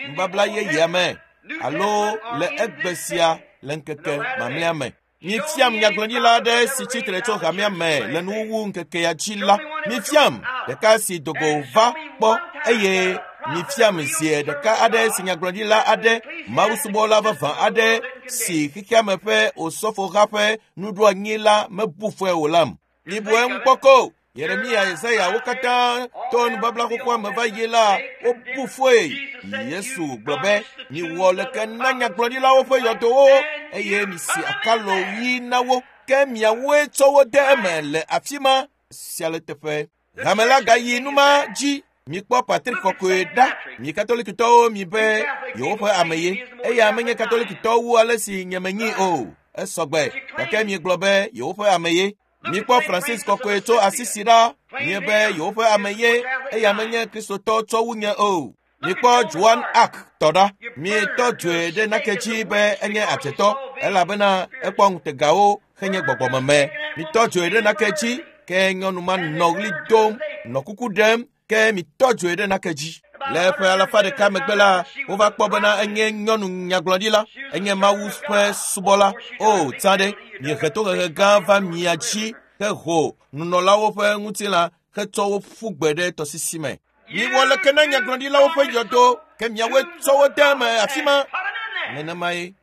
nubabla yeyea me, alo le egbe sia le ŋkeke mamlɛa me. Mifiam nyagblɔɖila aɖe si tsitre tso hamea me le nuwuwu ŋkekea dzi la. Mifiam ɖeka si dogo va kpɔ eye mifiam zi ɖeka aɖe si nyagblɔɖila aɖe, mawusubɔla vavã aɖe si xexea me ƒe osɔfoha ƒe nuɖoanyi la mebu fɔe o lam. Mibu eŋu kpɔ ko. Yeremia, Yesaya, wo katã to nubabla xoxoa me va yi la, wobu fɔe. Yesu gblɔ be, miwɔ leke na nyagblɔɖilawo ƒe yɔdowo eye misi akalo ɣi na wo, ke miawoe tsɔ wo de eme le afi ma sia le teƒe. Hame la gayi numa dzi. Mikpɔ Patrick kɔkɔe ɖa. Mi katolikitɔwo mi be yewoƒe ame ye. Eya menye katolikitɔ wu ale si nye menyi o. Esɔgbe, gake miegblɔ be yewoƒe ame ye. Mikpɔ Francis kɔkɔe tso Asisi ɖa. Miebe yewoƒe ame ye. Eya menye kristotɔ tsɔ wu nye o. Mikpɔ Joan Arc tɔ ɖa. Mietɔ dzoe ɖe nake dzi be enye adzetɔ elabena ekpɔ ŋutegawo henye gbɔgbɔmeme. Mitɔ dzoe ɖe nake dzi ke nyɔnu ma nɔ ɣli dom, nɔ kuku ɖem ke mitɔ dzoe ɖe nake dzi. Le ƒe alafa ɖeka megbe la, wova kpɔ bena enye nyɔnu nyagblɔɖila, enye Mawu ƒe subɔla. O, tsã ɖe, miehe tohehe gã va mia dzi heho nunɔlawo ƒe ŋutilã hetsɔ wo ƒu gbe ɖe tɔsisi me. Miwɔ leke na nyagblɔɖilawo ƒe yɔdo ke miawoe tsɔ wo de eme afi ma. Nenemae.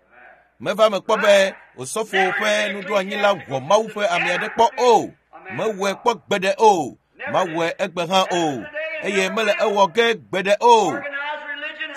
Meva me kpɔ be osɔfo ƒe nuɖoanyi la wɔ Mawu ƒe ame aɖe kpɔ o. Mewɔe kpɔ gbeɖe o. Mawɔe egbe hã o. Eye mele ewɔ ge gbeɖe o.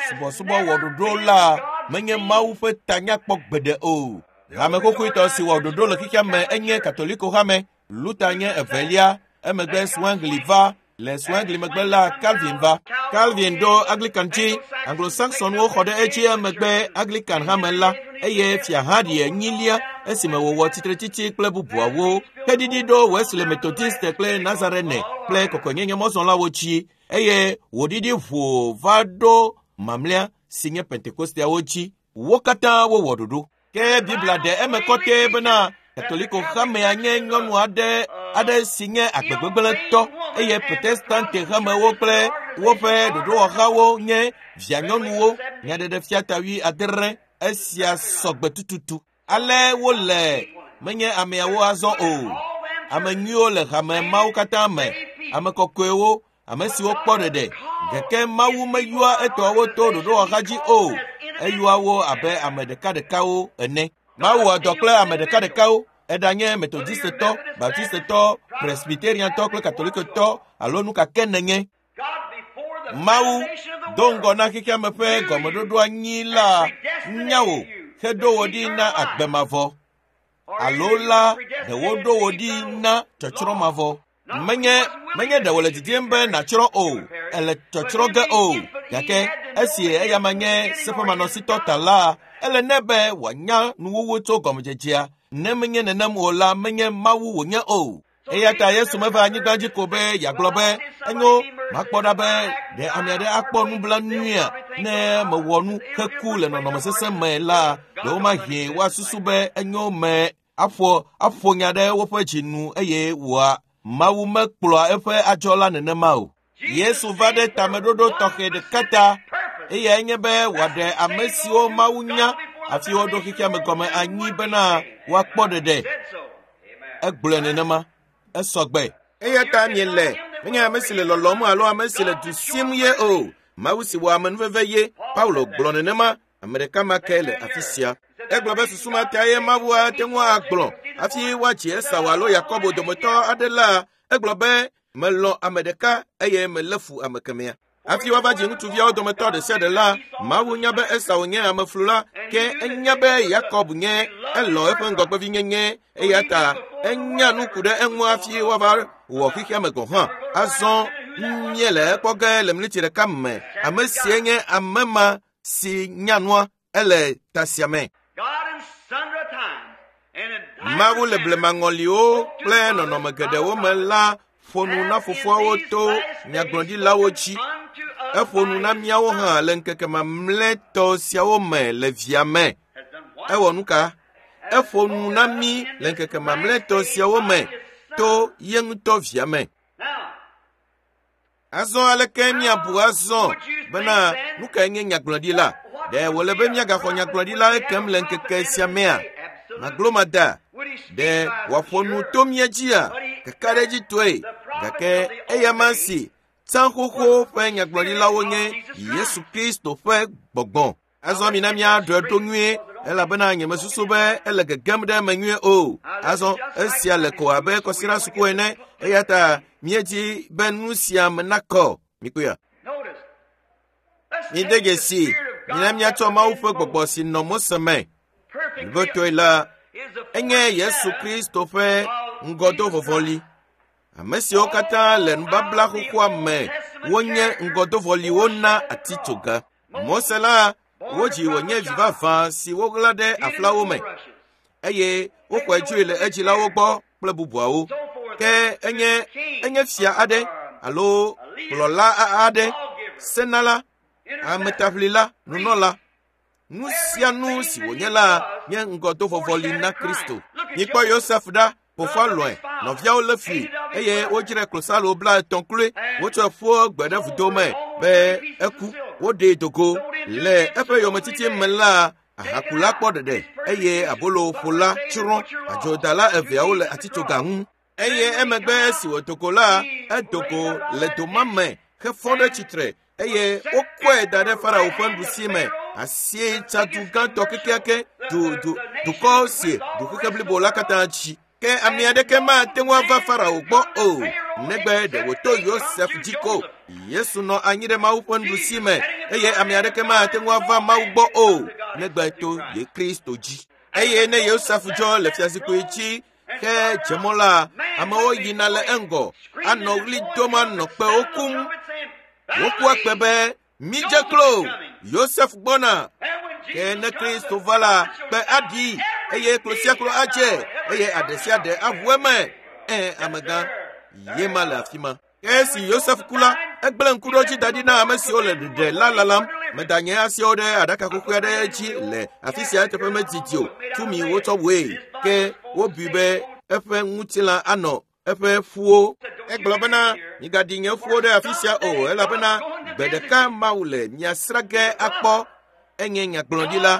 Subɔsubɔ wɔ ɖoɖo la menye Mawu ƒe tanya kpɔ gbeɖe o. Hame xoxoetɔ si wɔ ɖoɖo le xexea me enye Katoliko hame. Luther nye evelia, emegbe Zwingli va. Le Zwingli megbe la, Calvin va. Calvin ɖo Anglican dzi. Anglo-Saxonwo xɔ ɖe edzi emegbe Anglican hame la eye fia Harry enyilia esime wòwɔ tsitretsitsi kple bubuawo. Heɖiɖi ɖo Wesley Methodist kple Nazarene kple kɔkɔenyenye mɔzɔlawo dzi eye wòɖiɖi ʋoo va ɖo mamlɛa si nye Pentekosteawo dzi. Wo katã wowɔ ɖoɖo. Ke Biblia ɖe eme kɔtɛ bena Katoliko hamea nye nyɔnu aɖe aɖe si nye agbegbegblẽtɔ eye Protestante hamewo kple woƒe ɖoɖowɔhawo nye vianyɔnuwo. Nyaɖeɖefia ta wui adre esia sɔgbe tututu. Ale wole menye ameawo azɔ o. Ame nyuiwo le hame mawo katã me, ame kɔkɔewo, ame siwo kpɔ ɖeɖe. Gake Mawu meyɔa etɔawo to ɖoɖowɔha dzi o. Eyɔa wo abe ame ɖekaɖekawo ene. Mawu wɔ dɔ kple ame ɖekaɖekawo. Eɖanye Methodistetɔ, Baptistetɔ, Presbyteriantɔ kple Katolikotɔ alo nu ka ke nenye. Mawu do ŋgɔ na xexea me ƒe gɔmeɖoɖoanyi la nya wò heɖo wò ɖi na agbe mavɔ alo la ɖe woɖo wò ɖi na tsɔtsrɔ̃ mavɔ. Menye menye ɖe wòle didim be nàtsrɔ̃ o, ele tsɔtsrɔ̃ ge o, gake Esi eyama nye seƒemanɔsitɔ ta la, ele nɛ be wòanya nuwuwu tso gɔmedzedzea. Ne menye nenem o la, menye Mawu wònye o. Eya ta Yesu meva anyigba dzi ko be yeagblɔ be enyo makpɔ ɖa be ɖe ame aɖe akpɔ nublanuia ne mewɔ nu heku le nɔnɔme sesẽ me la, ɖewomahi woasusu be enyo me aƒo aƒo nya ɖe woƒe dzi nu eye wòa Mawu mekplɔa eƒe adzɔ la nenema o. Yesu va ɖe tameɖoɖo tɔxɛ ɖeka ta, eyae nye be wòaɖe ame siwo Mawu nya hafi woɖo xexea me gɔme anyi bena woakpɔ ɖeɖe. Egblɔe nenema. Esɔgbe. Eya ta miele menye ame si le lɔlɔm alo ame si le du sim ye o. Mawu si wɔ amenuveve ye. Paulo gblɔ nenema. Ame ɖeka ma ke le afi sia. Egblɔ be susu ma ta ye Mawu ate ŋu agblɔ hafi woadzi Esau alo Yakobo dometɔ aɖe la, egblɔ be melɔ̃ ame ɖeka eye melé fu ame kemɛa. Hafi woava dzi ŋutsuviawo dometɔ ɖe sia ɖe la, Mawu nya be Esau nye ameflula, ke enya be Yakob nye elɔ̃ eƒe ŋgɔgbevinyenye eya ta enya nu ku ɖe eŋu hafi woava wɔ xexea me gɔ̃ hã. Azɔ míele ekpɔ ge le miniti ɖeka me. Ame sie nye ame ma si nya nua ele ta sia me. Mawu le blemaŋɔliwo kple nɔnɔme geɖewo me la ƒo nu na fofoawo to nyagblɔɖilawo dzi. Eƒo nu na míawo hã le ŋkeke mamlɛtɔ siawo me le via me. Ewɔ nu ka? Eƒo nu na mí le ŋkeke mamlɛtɔ siawo me to ye ŋutɔ via me. Azɔ aleke míabu azɔ bena nu kae nye nyagblɔɖila? Ɖe wòle be míagaxɔ nyagblɔɖila ekem le ŋkeke sia mea? Maglomada. Ɖe wòaƒo nu to mía dzia? Kakaɖedzitɔe. Gake eya ma si tsã xoxo ƒe nyagblɔɖilawo nye Yesu Kristo ƒe gbɔgbɔ. Azɔ mina míaɖɔe ɖo nyuie elabena nyemesusu be ele gegem ɖe eme nyuie o. Azɔ esia le ko abe kɔsiɖa suku ene eya ta míedzi be nu sia me nakɔ. Mikpɔea? Mide dzesi mina míatsɔ Mawu ƒe gbɔgbɔ si nɔ Mose me. Blibotoe la, enye Yesu Kristo ƒe ŋgɔdovɔvɔli. Ame siwo katã le nubabla xoxoa me wonye ŋgɔdovɔliwo na atitsoga. Mose la, wodzi wònye vi vavã si woɣla ɖe aflawo me eye woxɔe dzoe le edzilawo gbɔ kple bubuawo. Ke enye enye fia aɖe alo kplɔla aɖe, senala, ametaʋlila, nunɔla. Nu sia nu si wònye la nye ŋgɔdovɔvɔli na Kristo. Mikpɔ Yosef ɖa. Fofoa lɔ̃e, nɔviawo lé fui eye wodzrae klosalo blaetɔ̃ kloe. Wotsɔe ƒu gbe ɖe vudo me be eku. Woɖee do go. Le eƒe yometiti me la, ahakula kpɔ ɖeɖe eye aboloƒola tsrɔ̃. Adzodala eveawo le atitsoga ŋu. Eye emegbe esi wòdo go la, edo go le doma me hefɔ ɖe tsitre eye wokɔe da ɖe Farao ƒe nuɖusi me. Asietsadu gãtɔ kekeake du du dukɔ si du xexe blibo la katã dzi. Ke ame aɖeke mate ŋu ava Farao gbɔ o, negbe ɖe wòto Yosef dzi ko. Yesu nɔ anyi ɖe Mawu ƒe nuɖusi me eye ame aɖeke mate ŋu ava Mawu gbɔ o, negbe to ye Kristo dzi. Eye ne Yosef dzɔ le fiazikpui dzi ke dze mɔ la, amewo yina le eŋgɔ anɔ ɣli dom anɔ kpewo kum. Wokua kpe be mídze klo, Yosef gbɔna. Ke ne Kristo va la, kpe aɖi eye klo sia klo adze eye aɖe sia ɖe aʋu eme. Ẽ, amegã, ye ma le afi ma. Ke esi Yosef ku la, egblẽ ŋkuɖodzi da ɖi na ame siwo le ɖeɖe la lalam. Meda nye asiwo ɖe aɖaka xoxo aɖe dzi le afi sia eteƒe medidi o. Tumi wotsɔ wòe. Ke wobui be eƒe ŋutilã anɔ eƒe ƒuwo. Egblɔ bena migaɖi nye ƒuwo ɖe afi sia o elabena gbe ɖeka Mawu le mia srã ge akpɔ. Enye nyagblɔɖila.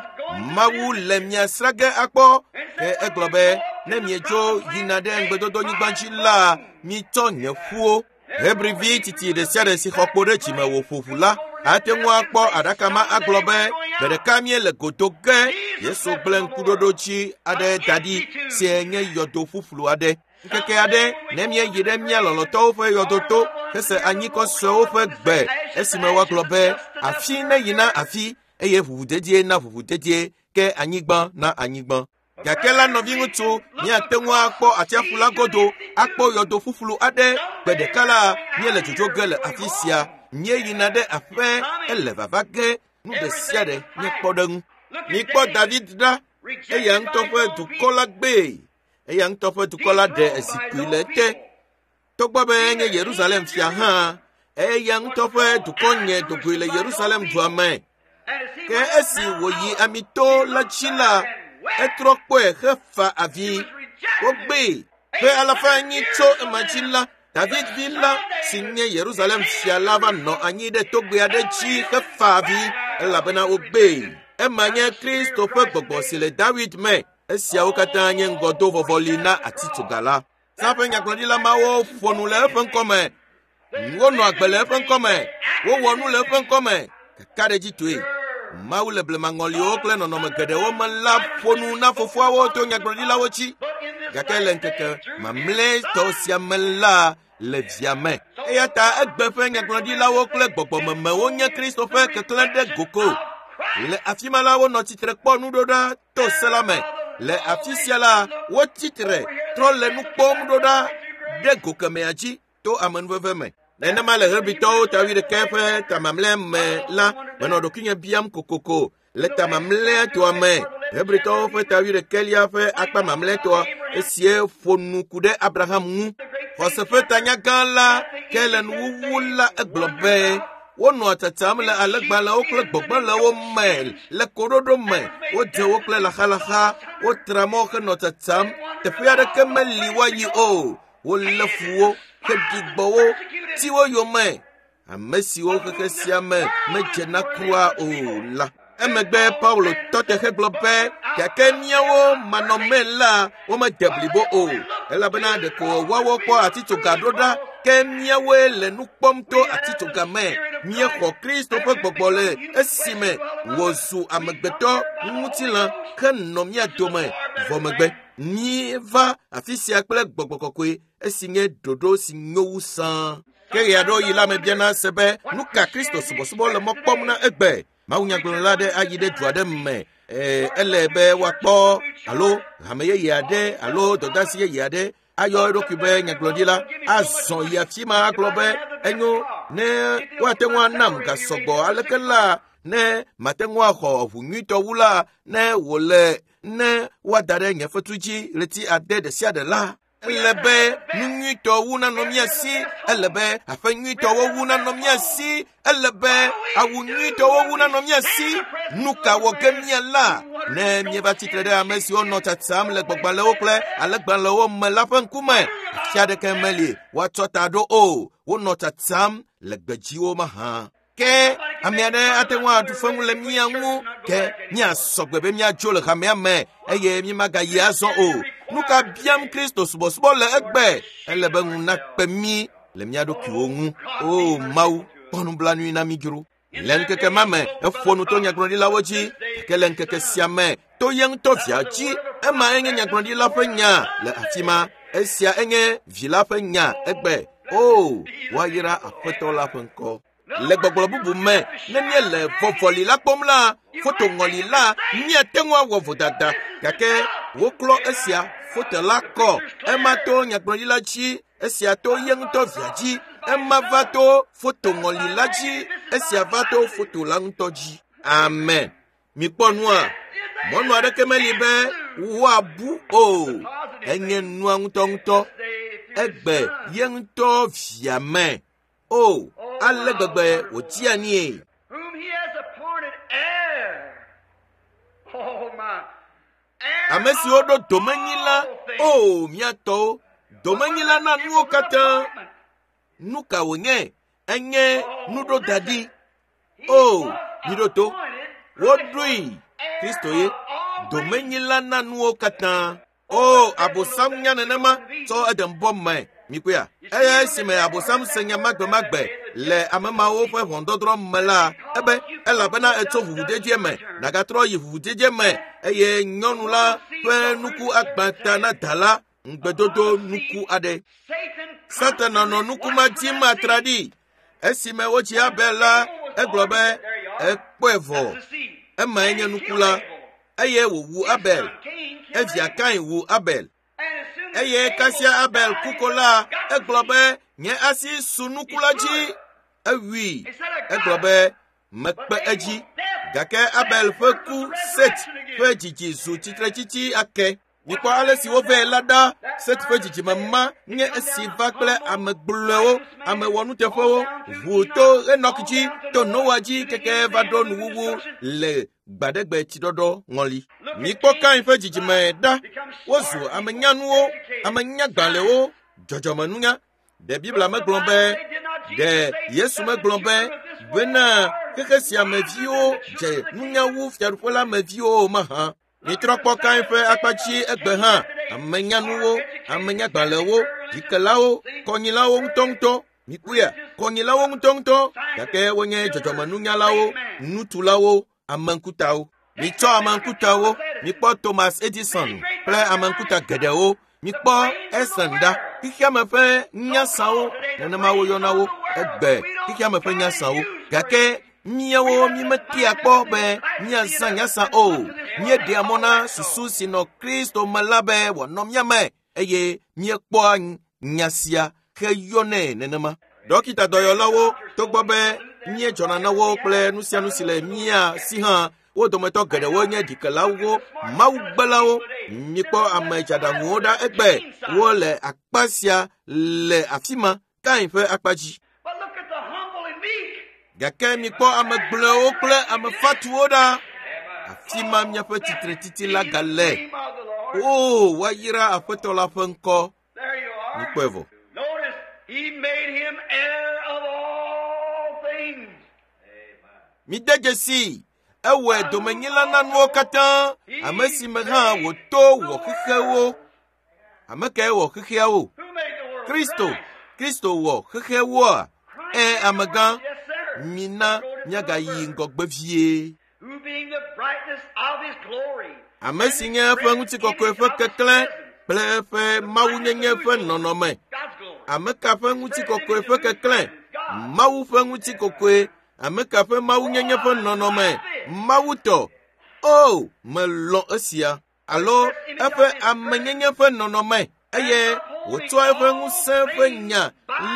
Mawu le mia srã ge akpɔ. Ke egblɔ be ne mietso yina ɖe ŋugbedodonyigba dzi la, mitsɔ nye ƒuwo. Hebrivi tsitsi ɖe sia ɖe si xɔ kpo ɖe dzime wòƒo ʋu la ate ŋu akpɔ aɖaka ma agblɔ be gbe ɖeka míele godo ge. Yesu gblẽ ŋkuɖoɖo dzi aɖe da ɖi si nye yɔdo ƒuƒlu aɖe. Ŋkeke aɖe ne míeyi ɖe mía lɔlɔ̃tɔwo ƒe yɔdoto hese anyikɔ suewo ƒe gbe esime woagblɔ be afi neyina na afi eye ʋuʋudedie na ʋuʋudedie ke anyigba na anyigba. Gake la nɔviŋutsu míate ŋu akpɔ atsiaƒu la godo akpɔ yɔdo ƒuƒlu aɖe. Gbe ɖeka la míele dzodzo ge le afi sia. Míeyina ɖe aƒe ele vava ge. Nu ɖe sia ɖe nye kpɔɖeŋu. Mikpɔ David ɖa. Eya ŋutɔ ƒe dukɔ la gbee. Eya ŋutɔ ƒe dukɔ la ɖe zikpui le ete. Togbɔ be enye Yerusalem fia hã, eya ŋutɔ ƒe dukɔ nye dogoe le Yerusalem dua me. Ke esi wòyi amito la dzi la, etrɔ kpɔe hefa avi. Wogbee. Ƒe alafa enyi tso ema dzi la, David vi la si nye Yerusalem fia la va nɔ anyi ɖe togbɛ aɖe dzi hefa avi elabena wogbee. Ema nye Kristo ƒe gbɔgbɔ si le David me. Esiawo katã nye ŋgɔdovɔvɔli na atitsoga la. Zã ƒe nyagblɔɖila mawo ƒo nu le eƒe ŋkɔme. Wonɔ agbe le eƒe ŋkɔme. Wowɔ nu le eƒe ŋkɔme. Kakaɖedzitɔe. Mawu le blemaŋɔliwo kple nɔnɔme geɖewo me la ƒo nu na fofoawo to nyagblɔɖilawo dzi. Gake le ŋkeke mamlɛtɔ sia me la le via me. Eya ta egbe ƒe nyagblɔɖilawo kple gbɔgbɔmemewo nye Kristo ƒe keklẽ ɖe goko. Le afi ma la wonɔ tsitre kpɔ nuɖoɖa to se la me. Le afi sia la wotsi tre trɔ le nu kpɔm ɖoɖa ɖe gokemea dzi to amenuveve me. Nenema le Hebritɔwo ta wuiɖekɛ ƒe tamamlɛ me la, menɔ ɖokuinye biam kokoko le tamamlɛtɔa me. Hebritɔwo ƒe ta wuiɖekɛlia ƒe akpa mamlɛtɔa esie ƒo nu ku ɖe Abraham ŋu. Xɔse ƒe tanyagã la ke le nuwuwu la egblɔ be wonɔ tsatsam le alegbalẽwo kple gbɔgblẽlewo me le koɖoɖo me. Wodze wo kple laxalaxa, wotra mɔ henɔ tsatsam. Teƒe aɖeke meli woayi o. Wolé fu wo, heɖi gbɔ wo, ti wo yome. Ame siwo xexe sia me medzena kura o la. Emegbe Paulo tɔ te hegblɔ be gake míawo manɔme la womede blibo o. Elabena ɖeko woawo kpɔ atitsoga ɖo ɖa, ke míawoe le nu kpɔm to atitsoga me. Míexɔ Kristo ƒe gbɔgbɔ le esime wòzu amegbetɔ ŋutilã henɔ mía dome vɔ megbe. Míeva afi sia kple gbɔgbɔ kɔkɔe esi nye ɖoɖo si nyo wu sãa. Ke ɣe aɖewo yi la mebiana se be nu ka Kristo subɔsubɔ le mɔ kpɔm na egbe. Mawunyagblɔla aɖe ayi ɖe du aɖe me. Ee, ele be woakpɔ alo hame yeye aɖe alo dɔdeasi yeye aɖe ayɔ eɖokui be nyagblɔɖila azɔ yi afi ma agblɔ be enyo ne woate ŋu anam gasɔgbɔ aleke la ne mate ŋu axɔ ʋu nyuitɔ wu la ne wòle ne woada ɖe nye fetu dzi ɣleti ade ɖe sia ɖe la. Ele be nu nyuitɔ wu nanɔ mía si. Ele be aƒe nyuitɔwo wu nanɔ mía si. Ele be awu nyuitɔwo wu nanɔ mía si. Nu ka wɔ ge mía la? Ne míeva tsitre ɖe ame siwo nɔ tsatsam le gbɔgbalẽwo kple alegbalẽwo me la ƒe ŋkume, afi aɖeke meli woatsɔ ta ɖo o. Wonɔ tsatsam le gbedziwo mahã. Ke ame aɖe ate ŋu aɖu feŋu le mía ŋu, ke míasɔ gbe be míadzo le hamea me eye mímagayi azɔ o. Nu ka biam Kristo subɔsubɔ le egbe? Ele be ŋu nakpe mí le mía ɖokuiwo ŋu. O Mawu, kpɔ nublanui na mí dzro. Le ŋkeke ma me, eƒo nu to nyagblɔɖilawo dzi, gake le ŋkeke sia me, to ye ŋutɔ via dzi. Ema enye nyagblɔɖila ƒe nya le afi ma. Esia enye vi la ƒe nya egbe. O, woayra Aƒetɔ la ƒe ŋkɔ. Le gbɔgblɔ bubu me, ne míele vɔvɔli la kpɔm la, fotoŋɔli la, míate ŋu awɔ vodada. Gake woklɔ esia foto la kɔ. Ema to nyagblɔɖila dzi, esia to ye ŋutɔ via dzi. Ema va to fotoŋɔli la dzi, esia va to foto la ŋutɔ dzi. Amen. Mikpɔ nua. Mɔnu aɖeke meli be woabu o. Enye nua ŋutɔŋutɔ. Egbe ye ŋutɔ via me. O, ale gbegbe wòdzia nie. Whom he has appointed heir. Oh my. Heir Ame siwo ɖo of domenyila, all things. o mía tɔwo, domenyila na nuwo katã. Nu ka wònye? Enye nuɖodaɖi. O, miɖo to. Woɖoe Kristo ye domenyila na nuwo katã. O, Abosam nya nenema tsɔ Edenbɔ me. Mikpɔea? Eye esime Abosam se nya magbemagbe le ame mawo ƒe ʋɔnudɔdrɔ̃ me la, ebe elabena etso ʋuʋudedie me, nagatrɔ yi ʋuʋudedie me eye nyɔnu la ƒe nuku agbã ta na da la, ŋugbedodo nuku aɖe. Satan Satana nɔ nuku ma dim atraɖii. Esime wotsi Abel la, egblɔ be ekpɔe vɔ. Emae nye nuku la. Eye wòwu Abel. Evia Kain wu Abel. Eye kasia Abel ku ko la, egblɔ be nye asi su nuku la dzi. Ewui. Egblɔ be mekpe edzi. Gake Abel ƒe ku Set ƒe dzidzi zu tsitretsitsi ake. Mikpɔ ale si wovɛ la ɖa. Set ƒe dzidzime ma nye esi va kple ame gblɔewo, ame wɔnuteƒewo, ʋu to Enɔk dzi, to Noa dzi keke va ɖo nuwuwu le gbaɖegbe tsiɖɔɖɔ ŋɔli. Mikpɔ Kain ƒe dzidzime ɖa. Wozu ame nyanuwo, ame nyagbalẽwo, dzɔdzɔmenunya. Ɖe Biblia megblɔ be, ɖe Yesu megblɔ be bena xexe sia me viwo dze nunya wu fiaɖuƒe la me viwo mahã. Mitrɔ kpɔ Kain ƒe akpa dzi egbe hã. Ame nyanuwo, ame nyagbalẽwo, dzikelawo, kɔnyilawo ŋutɔŋutɔ. Mikpɔea, kɔnyilawo ŋutɔŋutɔ, gake wonye dzɔdzɔmenunyalawo, nutulawo, ameŋkutawo. Mitsɔ ameŋkutawo, mikpɔ Thomas Edison kple ameŋkuta geɖewo. Mikpɔ Edison ɖa. Xexeame ƒe nyasawo, nenema woyɔna wo egbe, xexeame ƒe nyasawo. Gake míawo mímetea kpɔ be míazã nyasa o. Míeɖea mɔ na susu si nɔ Kristo me la be wòanɔ mía me eye míekpɔa nya sia heyɔnɛ nenema. Dɔkita dɔyɔlawo, togbɔ be míedzɔna na wo kple nu sia nu si le mía si hã, wo dometɔ geɖewo nye ɖikelawo, mawugbelawo. Mikpɔ ame dzaɖaŋuwo ɖa egbe. Wole akpa sia le afi ma, Kain ƒe akpa dzi. Gake mikpɔ ame gblɔewo kple ame fatuwo ɖa. Afi ma miaƒe tsitretsitsi la gale. O, woayra Aƒetɔ la ƒe ŋkɔ. Mikpɔe vɔ. Mide dzesi, ewɔe domenyila na nuwo katã, ame si me hã wòto wɔ xexewo. Ame kae wɔ xexeawo? Kristo. Kristo wɔ xexewoa? Ẽ, amegã, mina míagayi ŋgɔgbe vie. Ame si nye eƒe ŋutikɔkɔe ƒe keklẽ kple eƒe mawunyenye ƒe nɔnɔme. Ame ka ƒe ŋutikɔkɔe ƒe keklẽ? Mawu ƒe ŋutikɔkɔe. Ame ka ƒe mawunyenye ƒe nɔnɔme? Mawu tɔ. O, melɔ̃ esia. Alo eƒe amenyenye ƒe nɔnɔme eye wòtsɔa eƒe ŋusẽ ƒe nya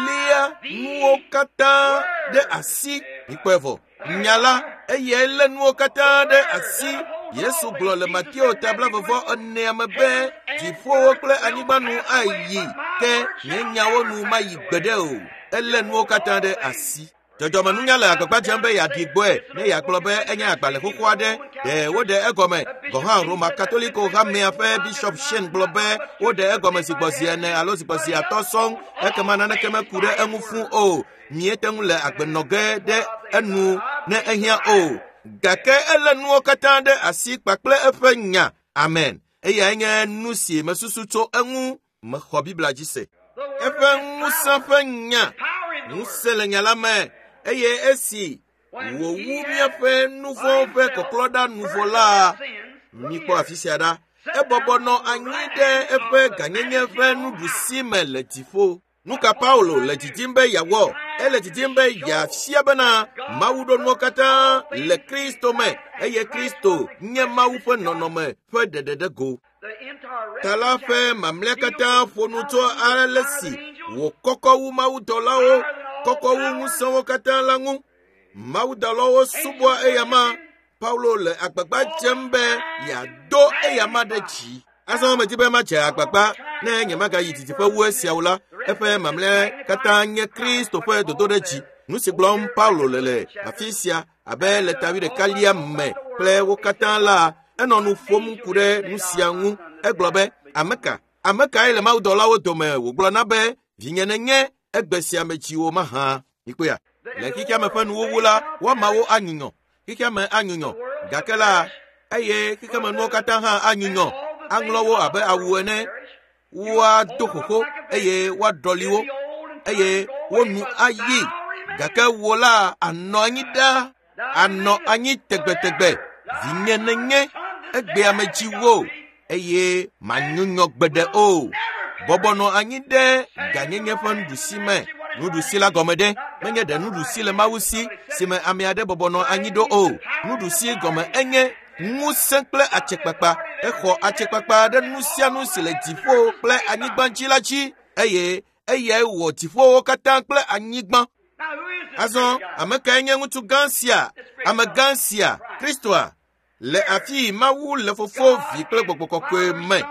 lia nuwo katã ɖe asi. Mikpɔe vɔ. Nya la, eyae lé nuwo katã ɖe asi. Yesu gblɔ le Mateo ta blaeve enea me be dziƒowo kple anyigba nu ayi, ke nye nyawo nu mayi gbeɖe o. Elé nuwo katã ɖe asi. Dzɔdzɔmenunya le agbagba dzem be yeaɖi gbɔe ne yeagblɔ be enye agbalẽ xoxo aɖe. Ɖe woɖe egɔme. Gɔ̃ hã Roma Katoliko hamea ƒe Bishop Sheen gblɔ be woɖe egɔme zigbɔzi ene alo zigbɔzi atɔ̃ sɔŋ, ekema naneke meku ɖe eŋu fũ o. Míete ŋu le agbe nɔ ge ɖe enu ne ehiã o. Gake elé nuwo katã ɖe asi kpakple eƒe nya. Amen. Eyae nye nu si mesusu tso eŋu. Mexɔ Biblia dzi se. Eƒe ŋusẽ ƒe nya. Ŋusẽ le nya la me. Eye esi wòwu míaƒe nu vɔ̃ ƒe kɔklɔɖa nu vɔ la, mikpɔ afi sia ɖa. Ebɔbɔ nɔ anyi ɖe eƒe gãnyenye ƒe nuɖusi me le dziƒo. Nu ka Paulo le didim be yeawɔ? Ele didim be yeafia bena Mawu ɖo nuwo katã le Kristo me eye Kristo nye Mawu ƒe nɔnɔme ƒe ɖeɖeɖego. Ta la ƒe mamlɛa katã ƒo nu tso ale si wòkɔkɔ wu mawudɔlawo, kɔkɔ wu ŋusẽwo katã la ŋu. Mawudɔlawo subɔa eyama. Paulo le agbagba dzem be yeado eyama ɖe dzi. Azɔ medi be madze agbagba ne nyemagayi didiƒe wu esiawo la, eƒe mamlɛa katã nye Kristo ƒe dodoɖedzi. Nu si gblɔm Paulo le le afi sia abe le ta wuiɖekalia me kple wo katã la, enɔ nu ƒom ku ɖe nu sia ŋu. Egblɔ be, ame ka? Ame kae le mawudɔlawo dome wògblɔ na be, vinye nenye egbe sia me dziwò mahã? Mikpɔea? Le xexeame ƒe nuwuwu la, woamawo anyunyɔ. Xexeame anyunyɔ. Gake la, eye xexemenuwo katã hã anyunyɔ. Aŋlɔ wo abe awu ene. Woado xoxo eye woaɖɔli wo eye wo nu ayi. Gake wò la anɔ anyi ɖaa, anɔ anyi tegbetegbe. Vinye nenye egbea me dziwò eye manyunyɔ gbeɖe o. Bɔbɔ nɔ anyi ɖe gãnyenye ƒe nuɖusi me. Nuɖusi la gɔme ɖe menye ɖe nuɖusi le Mawu si si me ame aɖe bɔbɔ nɔ anyi ɖo o. Nuɖusi gɔme enye ŋusẽ kple atsekpakpa. Exɔ atsekpakpa ɖe nu sia nu si le dziƒo kple anyigba dzi la dzi eye eyae wɔ dziƒowo katã kple anyigba. Azɔ ame kae nye ŋutsu gã sia, ame gã sia, Kristoa? Le afi Mawu le Fofo, Vi kple Gbɔgbɔ Kɔkɔe me.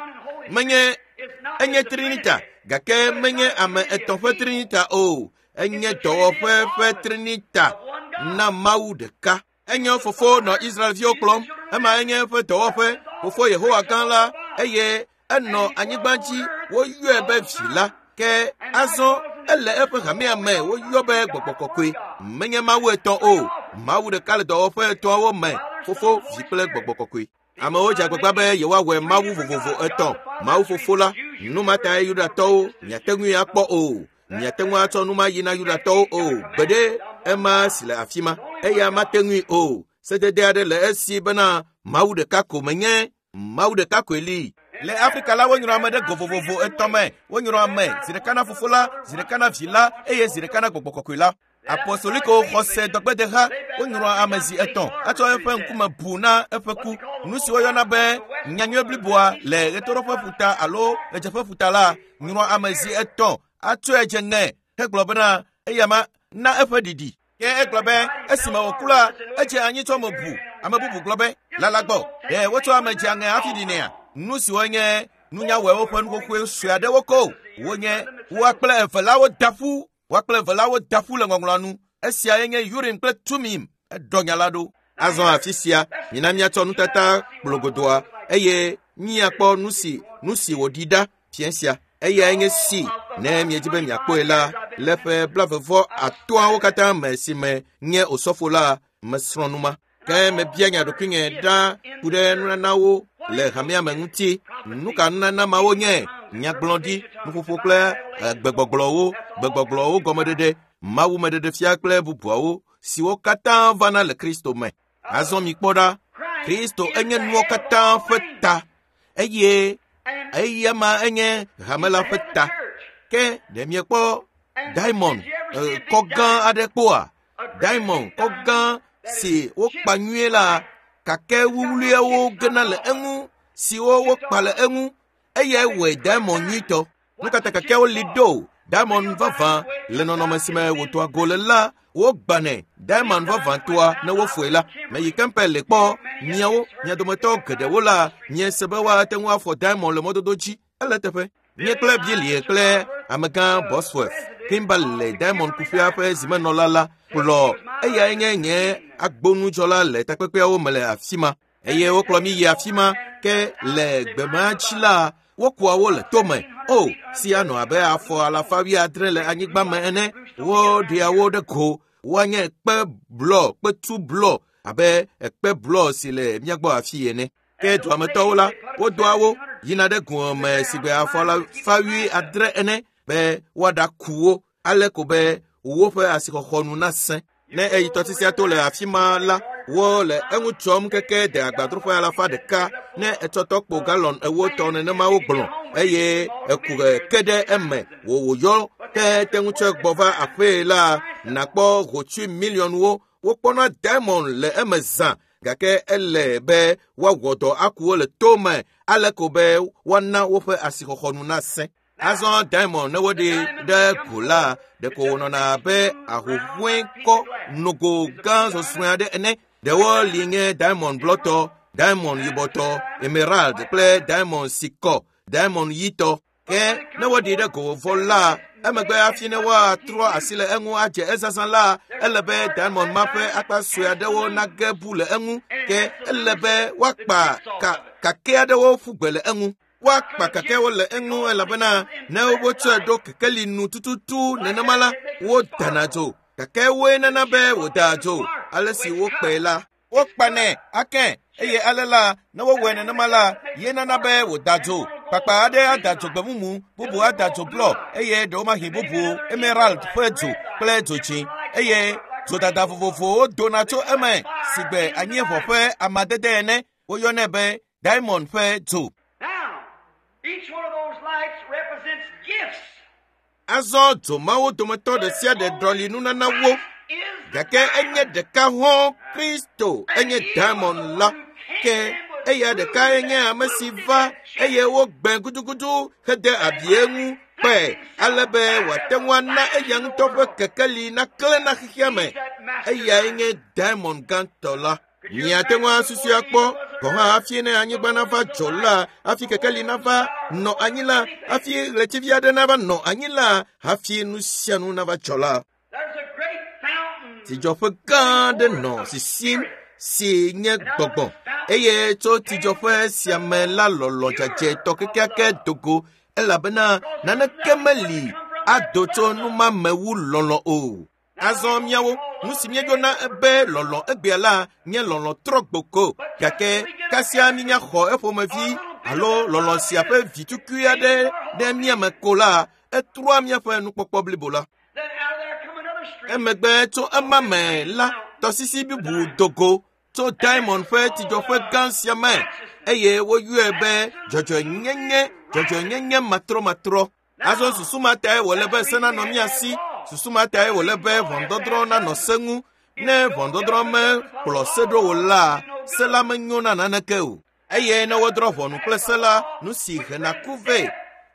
Menye enye Trinita, gake menye ame etɔ̃ ƒe Trinita o. Enye dɔwɔƒe ƒe Trinita na Mawu ɖeka. Enye Fofo nɔ Israelviwo kplɔm. Ema enye eƒe dɔwɔƒe, Fofo Yehowa gã la, eye enɔ anyigba dzi woyɔe be Vi la. Ke azɔ ele eƒe hamea me woyɔ be Gbɔgbɔ Kɔkɔe. Menye Mawu etɔ̃ o. Mawu ɖeka le dɔwɔƒe etɔ̃awo me, Fofo, Vi kple Gbɔgbɔ Kɔkɔe. Amewo dze agbagba be yewoawɔe Mawu vovovo etɔ̃. Mawu Fofo la, nu ma tae Yudatɔwo miate ŋui akpɔ o. Miate ŋu atsɔ nu ma yi na Yudatɔwo o. Gbeɖe ema si le afi ma, eya mate ŋui o. Sedede aɖe le esi bena Mawu ɖeka ko menye, Mawu ɖeka koe li. Le Afrika la, wonyrɔ ame ɖe go vovovo etɔ̃ me. Wonyrɔ ame zi ɖeka na Fofo la, zi ɖeka na Vi la, eye zi ɖeka na Gbɔgbɔ Kɔkɔe la. Apostoliko xɔse dɔgbedeha wonyrɔ ame zi etɔ̃ etsɔ eƒe ŋkume bu na eƒe ku. Nu si woyɔna be nyanyui bliboa le ɣetoɖoƒe ƒuta alo ɣedzeƒe ƒuta la, nyrɔ ame zi etɔ̃ atsɔe dze ŋe hegblɔ bena eya ma na eƒe ɖiɖi. Ke egblɔ be esime wòku la, edze anyi tsɔ ame bu. Ame bubu gblɔ be lala gbɔ ɖe wotsɔ ame dze aŋe hafi ɖinɛa? Nu siwo nye nunyawɔewo ƒe nuxoxoe sue aɖewo ko wonye. Woa kple eve la woda ƒu. Woa kple eve la woda ƒu le ŋɔŋlɔa nu. Esiae nye Urim kple Tumim. Eɖɔ nya la ɖo. Azɔ afi sia, mina míatsɔ nutata kplogodoa eye míakpɔ nu si nu si wòɖi ɖa fiẽ sia. Eyae nye si ne miedzi be miakpɔe la, le ƒe blavevɔ atɔ̃awo katã me si me nye osɔfo la, mesrɔ̃ nu ma. Ke mebia nya ɖokuinye ɖa ku ɖe nunanawo le hamea me ŋuti. Nu ka nunana mawo nye? Nyagblɔɖi, nuƒoƒo kple gbegbɔgblɔwo, gbegbɔgblɔwo gɔmeɖeɖe, mawumeɖeɖefia kple bubuawo siwo katã vana le Kristo me. Azɔ mikpɔ ɖa, Kristo enye nuwo katã ƒe ta, eye eya ma enye hame la ƒe ta. Ke ɖe miekpɔ diamond kɔ gã aɖe kpɔa? Diamond kɔ gã si wokpa nyuie la, gake wuwluiawo gena le eŋu, siwo wokpa le eŋu, eyae wɔe diamond nyuitɔ. Nu ka ta kakeawo li ɖo? Diamond vavã le nɔnɔme si me wòdoa go le la, wogbanɛ. Diamond vavãtɔa ne wofoe la, meyi Kempel le kpɔ miawo, mia dometɔ geɖewo la, miese be woate ŋu afɔ diamond le mɔdodo dzi. Ele teƒe. Nye kple Bilie kple amegã Bosworth Kimberley Diamond kuƒea ƒe zimenɔla la kplɔ eyae nye nye agbonudzɔla le takpekpeawo me le afi ma. Eye wokplɔ mi yi afi ma ke le gbema dzi la, wokua wo le tome. O, si anɔ abe afɔ alafa wuiadre le anyigba me ene. Woɖea wo ɖe go. Woanye kpe blɔ, kpetu blɔ abe ekpe blɔ si le mía gbɔ afi ene. Ke duametɔwo la, wodoa wo yina ɖe goa me si gbe afɔ alafa wuiadre ene be woaɖaku wo ale ko be woƒe asixɔxɔ nu nasẽ. Ne eyi tɔsisia to le afi ma la, wole eŋu tsɔm keke de agbadroƒe alafa ɖeka ne etsɔ tɔkpo galɔn ewo tɔ nenema wogblɔ eye eku ke ɖe eme wò wòyɔ ke te ŋu tsɔe gbɔ va aƒee la, nakpɔ hotsui miliɔnwo. Wokpɔna diamond le eme zã, gake ele be woawɔ dɔ aku wo le tome ale ko be woana woƒe asixɔxɔ nu nasẽ. Azɔ diamond ne woɖe ɖe go la, ɖeko wònɔna abe ahuhɔ̃e kɔ nogo gã sɔsɔe aɖe ene. Ɖewo li nye diamond blɔtɔ, diamond yibɔtɔ, emerald kple diamond si kɔ, diamond ɣitɔ. Ke ne woɖi ɖe go vɔ la, emegbe hafi ne woatrɔ asi le eŋu adze ezazã la, ele be diamond ma ƒe akpa sue aɖewo nage bu le eŋu. Ke ele be woakpa ka kake aɖewo ƒu gbe le eŋu. Woakpa kakewo le eŋu elabena ne wotsɔe ɖo kekeli nu tututu nenema la, wodana dzo. Gake woe nana be wòdaa dzo ale si wokpae la. Wokpanɛ ake eye ale la ne wowɔe nenema la, ye nana be wòda dzo. Kpakpa aɖe ada dzo gbemumu, bubu ada dzo blɔ eye ɖewomahi bubu emerald ƒe dzo kple dzo dzĩ eye dzodada vovovowo dona tso eme si gbe anyieʋɔ ƒe amadede ene. Woyɔnɛ be diamond ƒe dzo. Now, each one of those lights represents gifts. Azɔ dzo mawo dometɔ ɖe sia ɖe ɖɔli nunana wo. Gake enye ɖeka hɔ̃ Kristo enye diamond la. Ke eya ɖekae nye ame si va eye wogbe gudugudu hede abi eŋu wòkpɔe ale be wòate ŋu ana eya ŋutɔ ƒe kekeli naklẽ na xexea me. Eyae nye diamond gãtɔ la. Miate ŋu asusui akpɔ gɔ̃ hã hafi ne anyigba nava dzɔ la, hafi kekeli nava nɔ anyi la, hafi ɣletivi aɖe nava nɔ anyi la, hafi nu sia nu nava dzɔ la. There's a great fountain. Tsidzɔƒe gã aɖe nɔ sisim si nye gbɔgbɔ eye tso tsidzɔƒe sia me la lɔlɔ dzadzɛtɔ kekeake do go elabena naneke meli ado tso nu ma me wu lɔlɔ o. Azɔ míawo, nu si míeyɔna be lɔlɔ egbea la nye lɔlɔ trɔ gboko gake kasia mínya xɔ eƒomevi alo lɔlɔ sia ƒe vitukui aɖe ɖe mía me ko la, etrɔa míaƒe nukpɔkpɔ blibo la. Then out of there come another stream. Emegbe tso ema me la, tɔsisi bubu do go tso diamond ƒe tsidzɔƒe gã sia me eye woyɔe be dzɔdzɔenyenye, dzɔdzɔenyenye matrɔmatrɔ. Azɔ susu ma tae wòle be se nanɔ mía si, susu ma tae wòle be ʋɔnudɔdrɔ̃ nanɔ se ŋu. Ne ʋɔnudɔdrɔ̃ mekplɔ se ɖo o la, se la menyo na naneke o. Eye ne wodrɔ̃ ʋɔnu kple se la, nu si hena ku vɛ.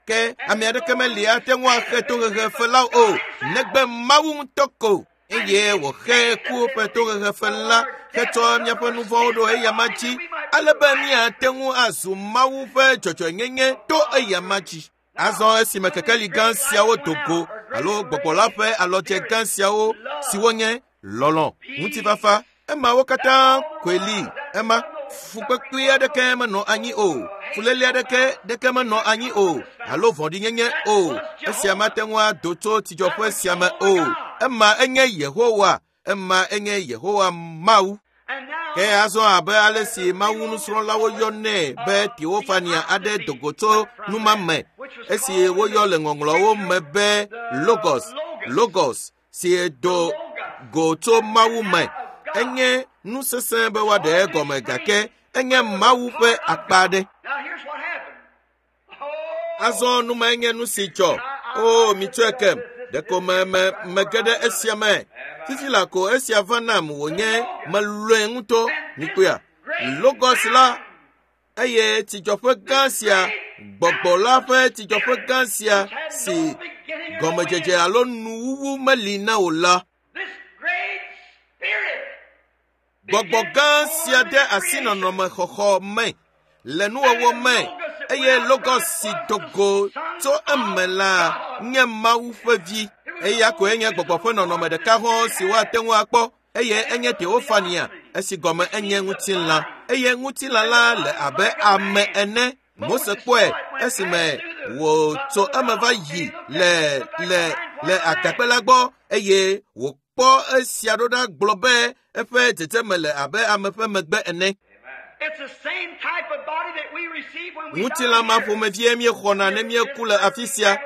Ke ame aɖeke meli ate ŋu axe tohehe fe la o, negbe Mawu ŋutɔ ko. Eye wòxe ku ƒe tohehe fe la hetsɔ míaƒe nu vɔ̃wo ɖo eyama dzi, ale be míate ŋu azu Mawu ƒe dzɔdzɔenyenye to eyama dzi. Azɔ esime kekeli gã siawo do go alo gbɔgbɔ la ƒe alɔdze gã siawo siwo nye lɔlɔ, ŋutifafa, emawo katã koe li. Ema fukpekpe aɖeke menɔ anyi o, fuléle aɖeke ɖeke menɔ anyi o, alo vɔ̃ɖinyenye o. Esia mate ŋu ado tso tsidzɔƒe sia me o. Ema enye Yehowa, ema enye Yehowa Mawu. And now, Ke azɔ abe ale si Mawu nusrɔ̃lawo yɔnɛ be Teofania aɖe do go tso nu ma me, esi woyɔ le ŋɔŋlɔwo me be Logos, Logos si do go tso Mawu me. Enye nu sesẽ be woaɖe egɔme gake enye Mawu ƒe akpa aɖe. now here's what happened. Oh, Azɔ nu mae nye nu si dzɔ. O, mitsɔe kem. Ɖeko me me mege ɖe esia me. Fifi la ko esia va nam wònye melɔe ŋutɔ. Mikpɔea? Logos la eye tsidzɔƒe gã sia, gbɔgbɔ la ƒe tsidzɔƒe gã sia si gɔmedzedze alo nuwuwu meli na o la. this great spirit Gbɔgbɔ gã sia de asi nɔnɔme xɔxɔ me le nuwɔwɔ me eye Logos si do go tso eme la nye Mawu ƒe vi. Eya koe nye gbɔgbɔ ƒe nɔnɔme ɖeka hɔ̃ si woate ŋu akpɔ eye enye Teofania esi gɔme enye ŋutilã eye ŋutilã la le abe ame ene. Mose kpɔe esime wòtso eme va yi le le le agakpe la gbɔ eye wòkpɔ esia ɖo ɖa gblɔ be eƒe dzedzeme le abe ame ƒe megbe ene. It's the same type of body that we receive when we Ŋutilã ma die here. ƒomevie míexɔna ne míeku le afi sia.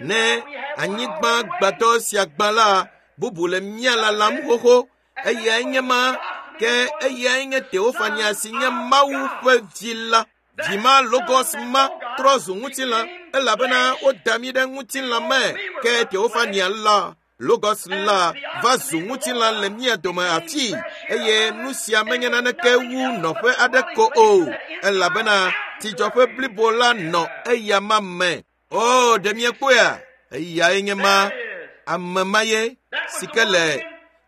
Ne anyigba gbadɔ sia gbã la, bubu le mía lalam xoxo. Eyae nye ma ke eyae nye Teofania si nye Mawu ƒe vi la. Vi ma Logos ma trɔ zu ŋutilã elabena woda mí ɖe ŋutilã me ke Teofania la Logos la va zu ŋutilã le mía dome afii eye nu sia menye naneke wu nɔƒe aɖe ko o elabena tsidzɔƒe blibo la nɔ eyama me. O, ɖe miekpɔea? Eyae nye ma ame ma ye si ke le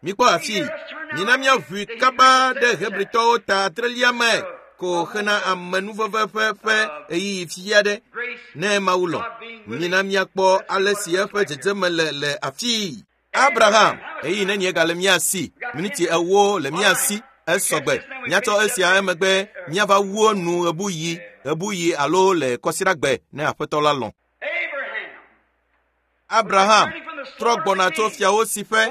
mikpɔ afii. Mina míaʋui kaba ɖe Hebritɔwo ta adrelia me ko hena amenuveve ƒe ƒe ɣeyiɣi fi aɖe. Grace, Ne Mawu lɔ̃, mina míakpɔ ale si eƒe dzedzeme le le afii. Abraham, ɣeyiɣi nenie gale mía si? Miniti ewo le mía si. Esɔgbe. Míatsɔ esia emegbe míava wu enu ɣebuɣi, ɣebuɣi alo le kɔsiɖagbe ne Aƒetɔ la lɔ̃. Abraham, Abraham trɔ gbɔna tso fiawo si ƒe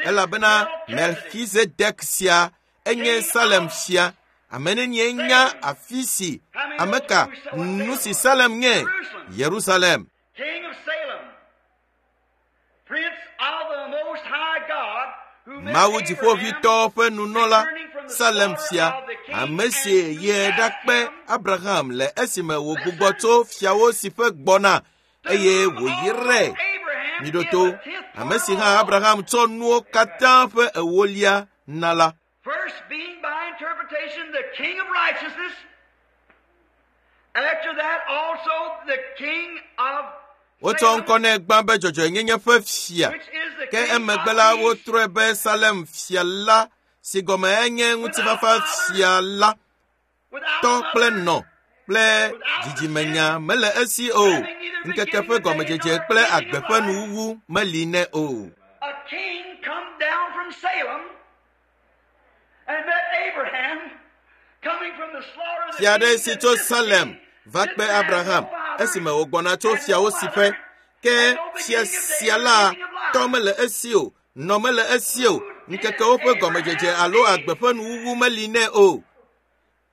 elabena Melchizedek sia enye Salem fia. Ame nenie nya afi si ame ka nu si Salem nye? Yerusalem. king of Salem, prince of the Most High God, who met Mawu Abraham dziƒoʋĩtɔ ƒe nunɔla Salem fia, ame si yi ɖakpe Abraham le esime wògbugbɔ tso fiawo si ƒe gbɔna eye wòyrae. Abraham Miɖo in to, the tenth ame si part hã of all. Abraham tsɔ nuwo katã ƒe ewolia na la. First being by interpretation the king of righteousness, after that also the king of Wotsɔ ŋkɔ nɛ gbã be dzɔdzɔenyenye ƒe fia. Which is the Ke king emegbe of la peace. wotrɔe be Salem fia la si gɔme enye ŋutifafa fia la. Without Tɔ kple mother, nɔ kple dzidzimenya mele esi o. Ŋkeke ƒe gɔmedzedze kple agbe ƒe nuwuwu meli nɛ o. A king come down from Salem and met Abraham coming from the slaughter of the Fia aɖe kings si and tso this Salem king va didn't kpe have no Abraham father esime wògbɔna tso and no fiawo si ƒe. mother Ke and no fia beginning of sia days or la beginning of life. tɔ mele esi o, nɔ mele esi o, ŋkekewo ƒe gɔmedzedze alo agbe ƒe nuwuwu meli nɛ o.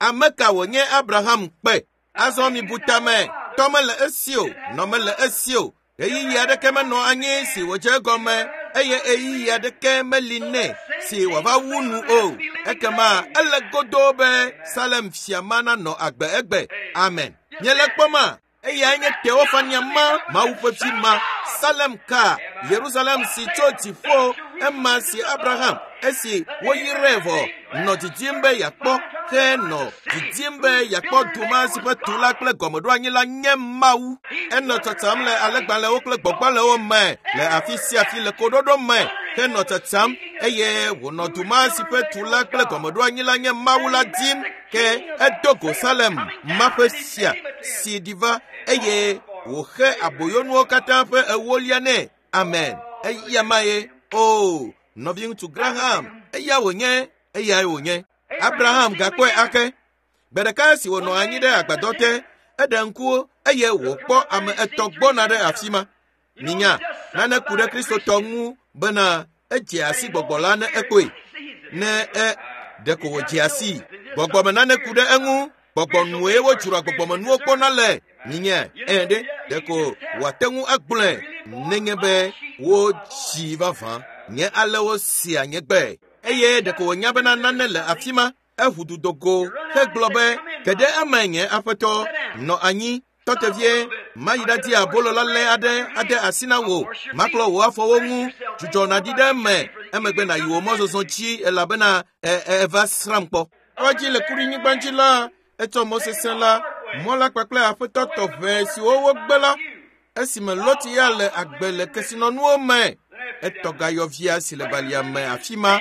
Ame ka wònye Abraham kpe? Azɔ mibu tame, tɔ mele esi o, nɔ mele esi o. Ɣeyiɣi aɖeke menɔ anyi si wòdze egɔme eye ɣeyiɣi aɖeke meli nɛ si wòava wu nu o. Ekema ele godoo be Salem fia ma nanɔ agbe egbe. Amen. Miele kpɔma? Eyae nye Teofania ma, Mawu ƒe vi ma, Salem ka, Yerusalem si tso dziƒo, ema si Abraham, esi woyrae vɔ, nɔ didim be yeakpɔ, ke nɔ didim be yeakpɔ du ma si ƒe tula kple gɔmeɖoanyi la nye Mawu. Enɔ tsatsam le alẽgbalẽwo kple gbɔgbalẽwo me le afi sia afi le koɖoɖo me, henɔ tsatsam eye wònɔ du ma si ƒe tula kple gɔmeɖoanyi la nye Mawu la dim. Ke edo go Salem ma ƒe fia si ɖi va eye wòxe aboyonuwo katã ƒe ewolia nɛ. Amen. Eya ma ye. O, nɔviŋutsu Graham, eya wònye, eyae wònye. Abraham gakpɔe ake. Gbe ɖeka esi wònɔ anyi ɖe agbadɔ te, eɖe ŋkuwo eye wòkpɔ ame etɔ̃ gbɔna ɖe afi ma. Minya, nane ku ɖe Kristotɔ ŋu bena edze asi gbɔgbɔ la ne ekpɔe. Ne e ɖeko wòdze asi. Gbɔgbɔme nane ku ɖe eŋu. Gbɔgbɔnue wodzroa gbɔgbɔmenuwo kpɔna le. Minya, eye ɖe ɖeko wòate ŋu agblɔe nenye be wodzi vavã. Nye ale wosia nye gbe. Eye ɖeko wònya bena nane le afi ma. Eʋu du do go hegblɔ be, "Ge ɖe eme nye aƒetɔ, nɔ anyi, tɔ te vie, mayi ɖadi abolo lalẽ aɖe ade asi na wò, maklɔ wò afɔwo ŋu, dzudzɔ nàɖi ɖe eme, emegbe nàyi wò mɔzɔzɔ dzi elabena e e eva srãm kpɔ." Kɔdzi le kuɖinyigba dzi la, etsɔ mɔ sesẽ la, mɔ la kpakple aƒetɔ tɔʋe siwo wogbe la, esime Lot ya le agbe le kesinɔnuwo me, etɔ gayɔvia si le balia me afi ma,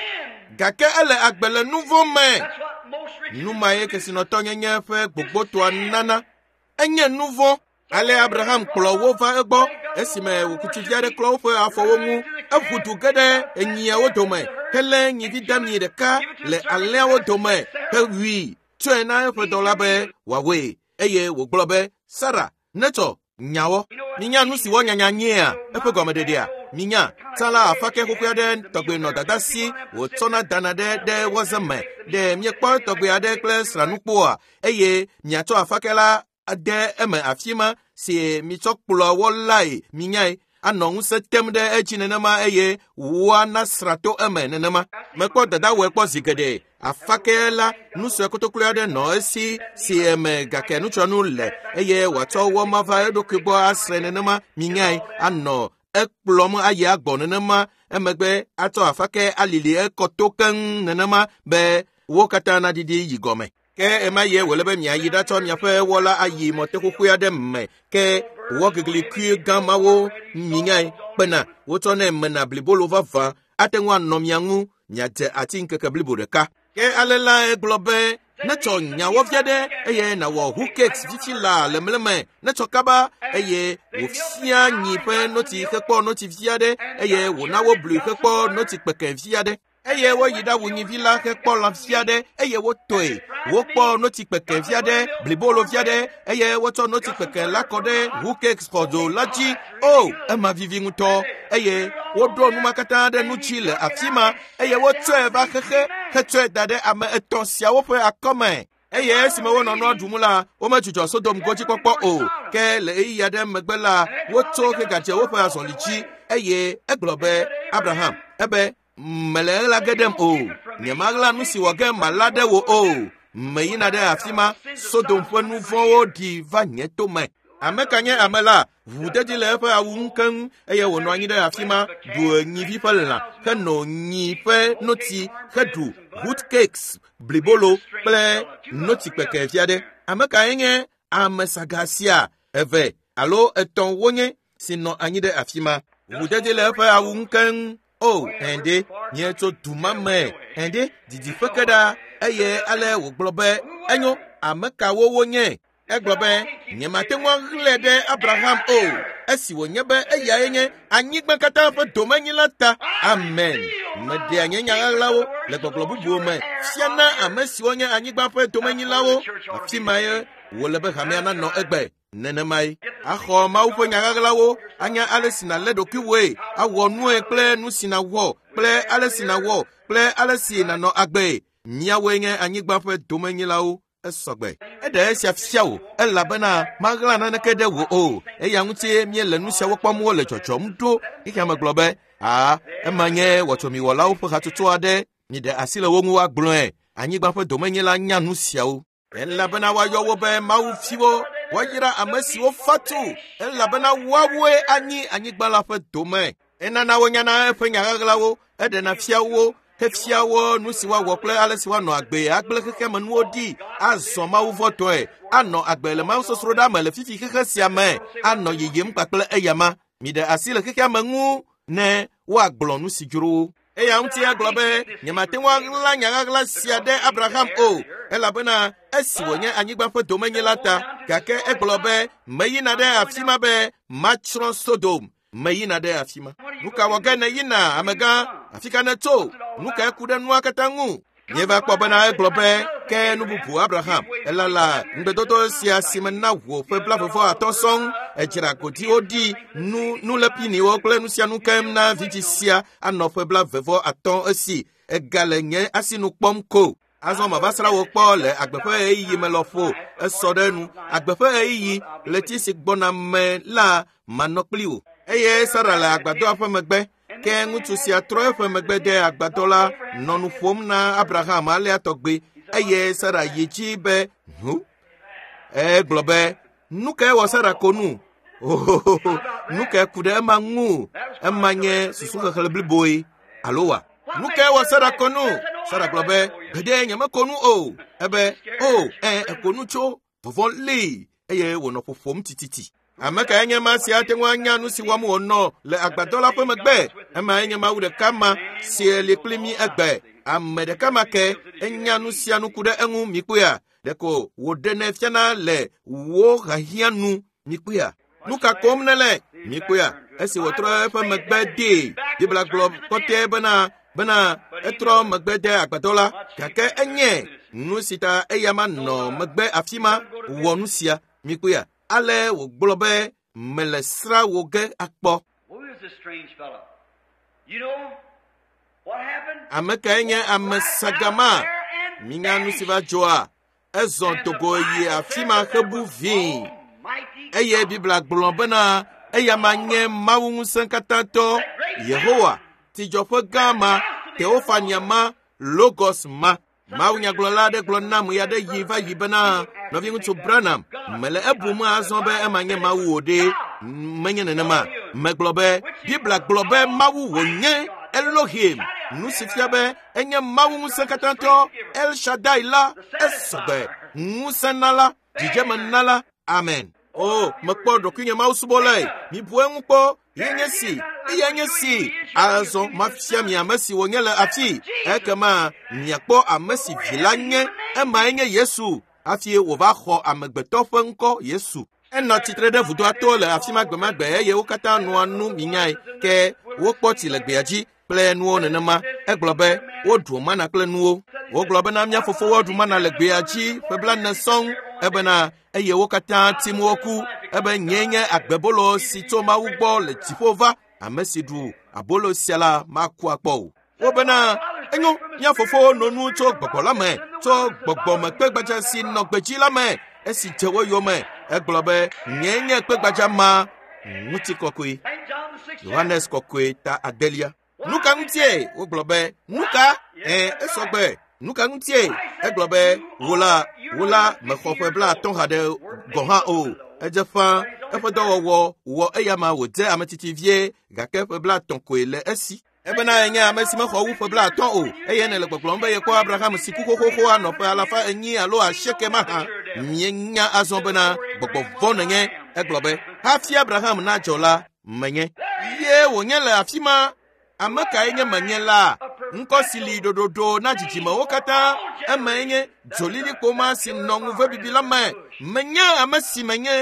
gake ele agbe le nu vɔ̃ me. That's what most rich Nu ma ye kesinɔtɔnyenye ƒe gbogbotoa nana. Enye nu vɔ̃. Ale Abraham kplɔ wo va egbɔ esime wòkutsuvi aɖe klɔ woƒe afɔwo ŋu. Eʋu du ge ɖe enyiawo dome helé nyivi dami ɖeka le alẽawo dome hewui tsɔe na eƒe dɔla be wòawɔe eye wògblɔ be, Sara, netsɔ nyawɔ. Minya nu si wɔnyanya nyea eƒe gɔmeɖeɖea. Minya, tsã la afake xoxoe aɖe tɔgbe nɔ dada si wòtsɔna dana ɖe ɖe wɔze me. Ɖe miekpɔ tɔgbe aɖe kple sranukpoa eye miatsɔ afake la ade eme afi ma si mitsɔ kplɔa wɔ lae minyae anɔ ŋusẽ tem ɖe edzi nenema eye woana sra to eme nenema. Mekpɔ dada wɔe kpɔ zi geɖe. Afake la nu sue kotokloe aɖe nɔ esi si eme gake nutsɔnu le eye wòatsɔ wɔ ma va eɖokui gbɔ asrɛ nenema minyae anɔ ekplɔm ayi agbɔ nenema emegbe atsɔ afake alili ekɔto keŋ nenema be wo katã naɖiɖi yi gɔme. Ke ema ye wòle be miayi ɖatsɔ miaƒe wɔla ayi mɔte xoxoe aɖe me ke wɔ geglikui gã mawo minyae kpena wotsɔnɛ mena blibolo vavã ate ŋu anɔ mia ŋu miadze ati ŋkeke blibo ɖeka. Ke ale la egblɔ be netsɔ nyawɔvi aɖe eye nàwɔ hookakes fifi la le mleme netsɔ kaba eye wòfia nyi ƒe notsi hekpɔ notsi vi aɖe eye wòna woblui hekpɔ notsi kpeke vi aɖe. Eye woyi ɖawu nyivi la hekpɔ lã vi aɖe eye wotɔe. Wokpɔ notsi kpeke vi aɖe, blibolo vi aɖe eye wotsɔ notsi kpeke la kɔ ɖe hookakes xɔdzo la dzi. O, ema vivi ŋutɔ. Eye woɖo nu ma katã ɖe nu dzi le afi ma eye wotsɔe va xexe hetsɔe da ɖe ame etɔ̃ siawo ƒe akɔme. Eye esime wonɔ nua ɖum la, womedzudzɔ Sodom godzikpɔkpɔ o. Ke le ɣeyiɣi aɖe megbe la, wotso hegadze woƒe azɔli dzi eye egblɔ be, Abraham, ebe, mele ɣla ge ɖem o. Nyemaɣla nu si wɔ ge mala ɖe wò o. Meyina ɖe afi ma, Sodom ƒe nu vɔ̃wo ɖi va nye tome. Ame ka nye ame la? Ʋuʋudedi le eƒe awu ŋu keŋ eye wònɔ anyi ɖe afi ma, ɖu nyivi ƒe lã, heno nyi ƒe notsi, heɖu hootcakes, blibolo kple notsi kpeke vi aɖe. Ame kae nye ame saga sia? Eve alo etɔ̃ wonye. si nɔ anyi ɖe afi ma. Ʋudzedze le eƒe awu ŋu keŋ. O, ɛnde, míetso du ma me, ɛnde, didiƒe ke ɖa eye ale wògblɔ be enyo, ame kawo wonye? Egblɔ be nyemate ŋu aɣlae ɖe Abraham o, esi wònye be eyae nye anyigba katã ƒe domenyila ta. Amen. Meɖea nye nya ɣaɣlawo le gbɔgblɔ bubuwo me fiana ame siwo nye anyigba ƒe domenyilawo. Afi mae wòle be hamea nanɔ egbe. Nenemae axɔ Mawu ƒe nya ɣaɣlawo, anya ale si nàlé ɖokuiwòe, awɔ nue kple nu si nàwɔ kple ale si nàwɔ kple ale si nànɔ agbee. Míawoe nye anyigba ƒe domenyilawo. Esɔgbe. Eɖe esia fia wò elabena maɣla naneke ɖe wò o. Eya ŋutie míele nu siawo kpɔm wole dzɔdzɔm ɖo. Xexea me gblɔ be, aa, ema nye wɔtsomiwɔlawo ƒe hatsotso aɖe. Miɖe asi le wo ŋu woagblɔe. Anyigba ƒe domenyila nya nu siawo. Elabena woayɔ wo be Mawu viwo. Woayra ame siwo fa tu elabena woawoe anyi anyigba la ƒe dome. Enana wonyana eƒe nya ɣaɣlawo, eɖena fia wo, hefia wo nu si woawɔ kple ale si woanɔ agbe agblẽ xexeame nuwo ɖi, azɔ Mawu vɔtɔe, anɔ agbe le mawusosroɖa me le fifi xexe sia me, anɔ yiyim kpakple eyama. Miɖe asi le xexeame ŋu ne woagblɔ nu si dzro wo. Eya ŋuti agblɔ be nyemate ŋu aɣla nya ɣaɣla sia ɖe Abraham o, elabena esi wònye anyigba ƒe domenyila ta. Gake egblɔ be meyina ɖe afi ma be matsrɔ̃ Sodom. Meyina ɖe afi ma. Nu ka wɔ ge nèyina, amegã? Afi ka nètso? Nu kae ku ɖe nua katã ŋu? Míeva kpɔ bena egblɔ be ke nu bubu Abraham elala ŋugbedodo sia si me na wò ƒe blaeve atɔ̃ sɔŋ. Edzra godiwo ɖi, nu nulepiniwo kple nu sia nu keŋ na vidzĩ sia anɔ ƒe blaeve atɔ̃ esi egale nye asinu kpɔm ko. Azɔ mava srã wò kpɔ le agbe ƒe ɣeyiɣi me lɔƒo. Esɔ ɖe nu. Agbe ƒe ɣeyiɣi ɣleti si gbɔna me la manɔ kpli wò. Eye Sara le agbadɔa ƒe megbe. Ke ŋutsu sia trɔ eƒe megbe de agbadɔ la nɔ nu ƒom na Abraham alea tɔgbe. Eye Sara yi dzi be hu. Egblɔ be nu kae wɔ Sara ko nu? Ohohoho, nu kae ku ɖe ema ŋu? Ema nye susuxexlẽ bliboe alo wa? Nu kae wɔ Sara ko nu? Sara gblɔ be gbeɖe nyemeko nu o. Ebe o ɛ eko nu tso vɔvɔ̃ lée eye wònɔ ƒoƒom tititi. Ame kae nye ma si ate ŋu anya nu si wɔm wònɔ le agbadɔ la ƒe megbe? Emae nye Mawu ɖeka ma si li kpli mí egbe. Ame ɖeka ma ke enya nu sia nu ku ɖe eŋu mikpɔea? Ɖeko wòɖenɛ fiana le wò hiahiã nu mikpɔea? Nu ka kom nèle mikpɔea? Esi wòtrɔ eƒe megbe dee, Biblia gblɔ kɔtɛe bena bena etrɔ megbe de agbadɔ la, gake enye nu si ta eya ma nɔ megbe afi ma wɔ nu sia mikpɔea? Ale wògblɔ be mele srã wò ge akpɔ. Who is this strange fellow? You know what happened? Ame kae nye ame sagama? Minya nu si va dzɔa? Ezɔ dogo yi afi ma hebu vĩi. Eye Biblia gblɔ bena eya ma nye Mawu ŋusẽkatãtɔ Yehowa, tsidzɔƒe gã ma, Teofania ma, Logos ma. Mawu nyagblɔla aɖe gblɔ nam ɣe aɖe yi va yi bena nɔviŋutsu Branham, mele ebum azɔ be ema nye Mawu o ɖe. Menye nenema. Megblɔ be Biblia gblɔ be Mawu wònye Elohim, nu si fia be enye Mawu ŋusẽkatãtɔ El Shaddai la, esɔgbe, ŋusẽnala, dzidzemenala. Amen. O, mekpɔ ɖokuinye Mawu subɔlae. Mibu eŋu kpɔ. Ye nye si, eya nye si. Azɔ mafia mi ame si wònye le afi. Ekema miakpɔ ame si vi la nye. Emae nye Yesu. Hafi wòva xɔ amegbetɔ ƒe ŋkɔ Yesu. Enɔ tsitre ɖe vudoa to le afi ma gbemagbe eye wo katã nɔa nu minyae. Ke wokpɔ tsi le gbea dzi kple nuwo nenema. Egblɔ be woɖu mana kple nuwo. Wogblɔ bena mía fofowo ɖu mana le gbea dzi ƒe blaene sɔŋ. Ebena eye wo katã tim woku. Ebe nyee nye agbebolo si tso Mawu gbɔ le dziƒo va. Ame si ɖu abolo sia la maku akpɔ o. Wobena enyo mía fofowo no nu tso gbɔgbɔ la me, tso gbɔgbɔmekpegbadza si nɔ gbedzi la me esi dze wo yome. Egblɔ be nyee nye kpegbadza ma ŋutikɔkɔe. Saint John the sixth Yohanes kɔkɔe ta adelia. Nu ka ŋutie? Wogblɔ be nu ka? Ɛ esɔgbe. Nu ka ŋutie? Egblɔ be wò la, wò la mexɔ ƒe blaatɔ̃ haɖe gɔ̃ hã o. Edze ƒãa eƒe dɔwɔwɔ wɔ eya ma wòdze ame tsitsi vie gake ƒe blaatɔ̃ koe le esi. Ebena enye ame si mexɔ wu ƒe blaatɔ̃ o eye nèle gbɔgblɔm be yekpɔ Abraham si ku xoxoxo anɔ ƒe alafa enyi alo asieke mahã. Míenya azɔ bena gbɔgbɔ vɔ̃ nènye. Egblɔ be Hafi Abraham nadzɔ la, menye. Ye wònye le afi ma. Ame kae nye menye la? Ŋkɔ si li ɖoɖoɖo na dzidzimewo katã. Emae nye dzolilikpo ma si nɔ ŋuvebibi la me. Menye ame si menye.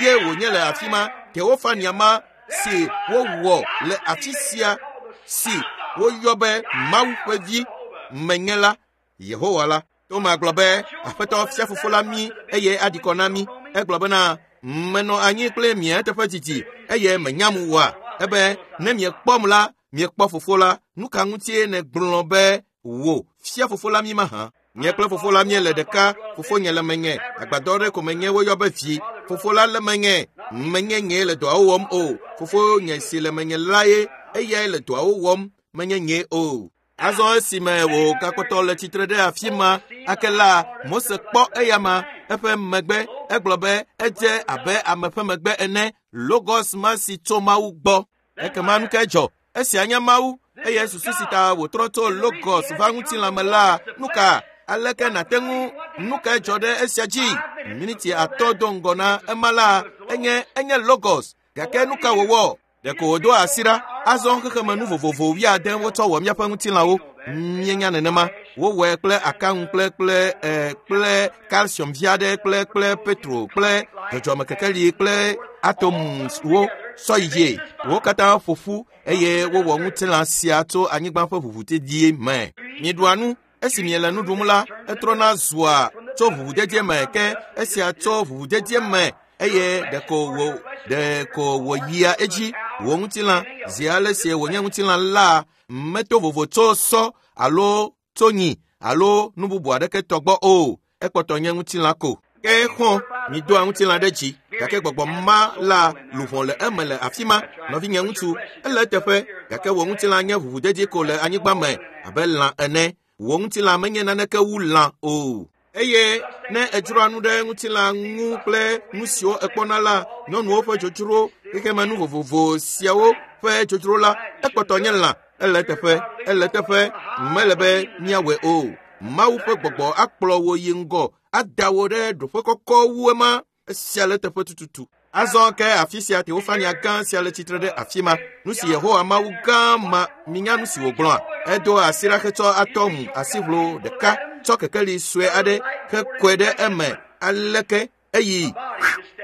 Ye wònye le afi ma. Teofania ma si wowɔ le afi sia si woyɔ be Mawu ƒe vi menye la, Yehowa la. Toma gblɔ be, Aƒetɔ fia fofo la mí eye aɖi kɔ na mí. Egblɔ bena, menɔ anyi kple mia teƒe didi eye menyam oa. Ebe ne miekpɔm la, miekpɔ fofo la. Nu ka ŋutie nègblɔ be wò fia fofo la mí mahã? Nye kple fofo la míele ɖeka. Fofonye le menye. Agbadɔ ɖe ko menye woyɔ be vi. Fofo la le menye. Menye nyee le dɔawo wɔm o. Fofonye si le menye la ye eyae le dɔawo wɔm. Menye nye o. Azɔ esime wògakpɔtɔ le tsitre ɖe afi ma ake la, Mose kpɔ eyama eƒe megbe. Egblɔ be edze abe ame ƒe megbe ene. Logos ma si tso Mawu gbɔ. Ekema nu kae dzɔ? Esia nye Mawu eye susu si ta wòtrɔ tso Logos va ŋutilã me la, nu ka? Aleke nàte ŋu nu kae dzɔ ɖe esia dzi? Miniti atɔ̃ do ŋgɔ na ema la, enye enye Logos. Gake nu ka wòwɔ? Ɖeko wòdo asi ɖa. Azɔ xexeme nu vovovo wuiade wotsɔ wɔ míaƒe ŋutilãwo. Míenya nenema. Wowɔe kple akaŋu kple kple eh, kple calcium vi aɖe kple kple petro kple dzɔdzɔmekekeli kple atomswo sɔ yi dzie. Wo katã ƒo ƒu eye wowɔ ŋutilã sia tso anyigba ƒe ʋuʋudedie me. Miɖua nu. Esi miele nu ɖum la, etrɔna zua tso ʋuʋudedie me ke esia tso ʋuʋudedie me eye ɖeko wò ɖeko wòyia edzi. Wò ŋutilã zi ale si wònye ŋutilã la meto vovo tso sɔ alo tso nyi alo nu bubu aɖeke tɔ gbɔ o. Ekpɔtɔ nye ŋutilã ko. Ke xɔ midoa ŋutilã ɖe dzi gake gbɔgbɔ ma la luʋɔ le eme le afi ma. Nɔvinye ŋutsu, ele eteƒe gake wò ŋutilã nye ʋuʋudedi ko le anyigba me abe lã ene. Wò ŋutilã menye naneke wu lã o. Eye ne edzroa nu ɖe ŋutilã ŋu kple nu siwo ekpɔna la, nyɔnuwo ƒe dzodzro, xexeme nu vovovo siawo ƒe dzodzro la, ekpɔtɔ nye lã. Ele eteƒe, ele eteƒe, mele be míawɔe o. Mawu ƒe gbɔgbɔ akplɔ wò yi ŋgɔ, ada wò ɖe ɖoƒe kɔkɔ wu ema. Esia le eteƒe tututu. Azɔ ke afi sia Teofania gã sia le tsitre ɖe afi ma. Nu si Yehowa Mawu gã ma, minya nu si wògblɔa? Edo asi ɖa hetsɔ atɔm asiʋlo ɖeka tsɔ kekeli sue aɖe hekɔe ɖe eme aleke eyi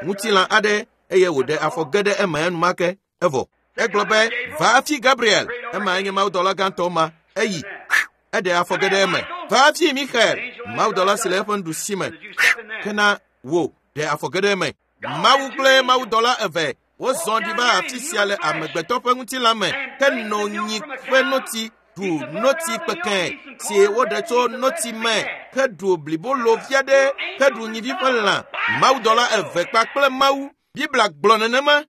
ŋutilã aɖe eye wòɖe afɔ ge ɖe eme enumake evɔ. Egblɔ be, va afi Gabriel, emae nye mawudɔla gãtɔ ma. Eyi, eɖe afɔ ge ɖe eme. Va afi Michael, mawudɔla si le eƒe nuɖusi me. Kena wò ɖe afɔ ge ɖe eme. Mawu kple mawudɔla eve wozɔ ɖi va afi sia le amegbetɔ ƒe ŋutilã me ke no nyi ƒe notsi ɖu notsi kpekẽ si woɖe tso notsi me heɖu blibolo vi aɖe heɖu nyivi ƒe lã. Mawudɔla eve kpakple Mawu. Biblia gblɔ nenema.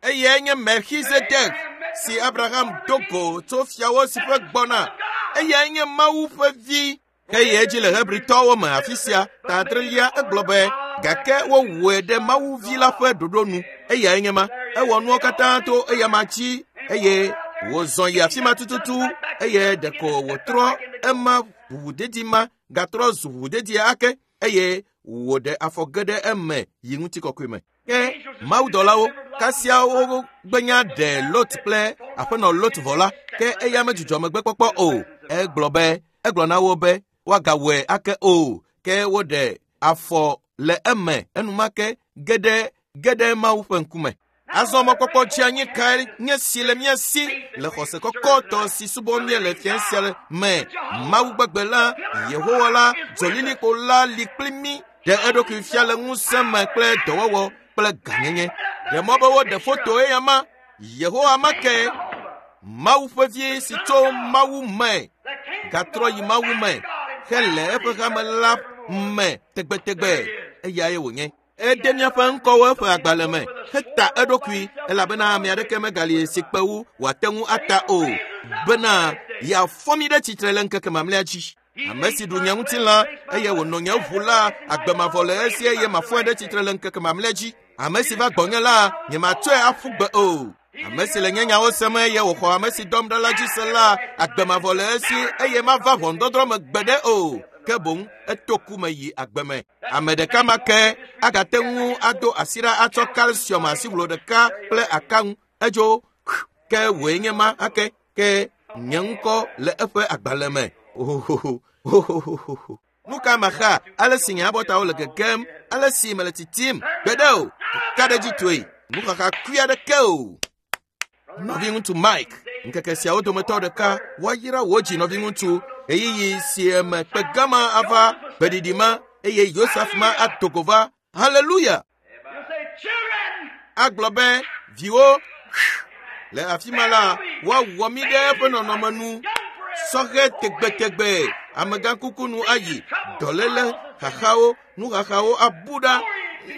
Eyae nye Melchizedek si Abraham do go tso fiawo si ƒe gbɔna. Eyae nye Mawu ƒe vi. Ke yi edzi le Hebritɔwo me afi sia ta adrelia egblɔ be gake wowɔe ɖe Mawu vi la ƒe ɖoɖo nu. Eyae nye ma. Ewɔ nuwo katã to eyama dzi eye wòzɔ yi afi ma tututu eye ɖeko wòtrɔ ema ʋuʋudedi ma gatrɔ zu ʋuʋudedi ake eye wòɖe afɔ ge ɖe eme yi ŋutikɔkɔe me. Ke mawudɔlawo kasia wogbenya ɖe Lot kple aƒenɔ Lot vɔ la, ke eya medzudzɔ megbekpɔkpɔ o. Egblɔ be egblɔ na wo be woagawɔe ake o. Ke woɖe afɔ le eme enumake ge ɖe ge ɖe Mawu ƒe ŋkume. Azɔ mɔkpɔkpɔ dzi anyi kae nye si le mía si le xɔse kɔkɔtɔ si subɔm míele fia sia me. Mawu gbegbe la, Yehowa la, dzolilikpo la li kpli mí. Ɖe eɖokui fia le ŋusẽ me kple dɔwɔwɔ kple gãnyenye. Ɖe mɔ be woɖe foto eya ma. Yehowa ma ke, Mawu ƒe vi si tso Mawu me gatrɔ yi Mawu me hele eƒe hame la me tegbetegbe. Eyae wònye. Ede míaƒe ŋkɔwo eƒe agbalẽ me heta eɖokui elabena ame aɖeke megali si kpe wu wòate ŋu ata o bena yeafɔ mí ɖe tsitre le ŋkeke mamlɛa dzi. Ame si ɖu nye ŋutilã eye wònɔ nye ʋu la, agbe mavɔ le esi eye mafɔe ɖe tsitre le ŋkeke mamlɛa dzi. Ame si va gbɔnye la, nyematsɔe aƒu gbe o. Ame si le nye nyawo sem eye wòxɔ ame si dɔm ɖa la dzi se la, agbe mavɔ le esi eye mava ʋɔnudɔdrɔ̃ me gbeɖe o. Ke boŋ eto ku me yi agbe me. Ame ɖeka ma ke agate ŋu ado asi ɖa atsɔ kalsiɔm asiʋlo ɖeka kple aka ŋu. Edzo ke wòe nye ma ake ke nye ŋkɔ le eƒe agbalẽ me. Ohohoho ohohoho. Nu ka maxa ale si nye abɔtawo le gegem, ale si mele titim gbeɖe o, ka ɖe dzi toe, nuxaxa kui aɖeke o. Nɔviŋutsu Mike, ŋkeke siawo dometɔ ɖeka woayra wò dzi nɔviŋutsu ɣeyiɣi si me kpe gama ava gbeɖiɖi ma eye Yosef ma ado go va. Haleluya! You'll say, children, Agblɔ be viwo le afi ma la woawɔ mí ɖe eƒe nɔnɔme nu. Sɔhɛ tegbetegbe amegãkuku nu ayi dɔléle xaxawo nuxaxawo abu ɖa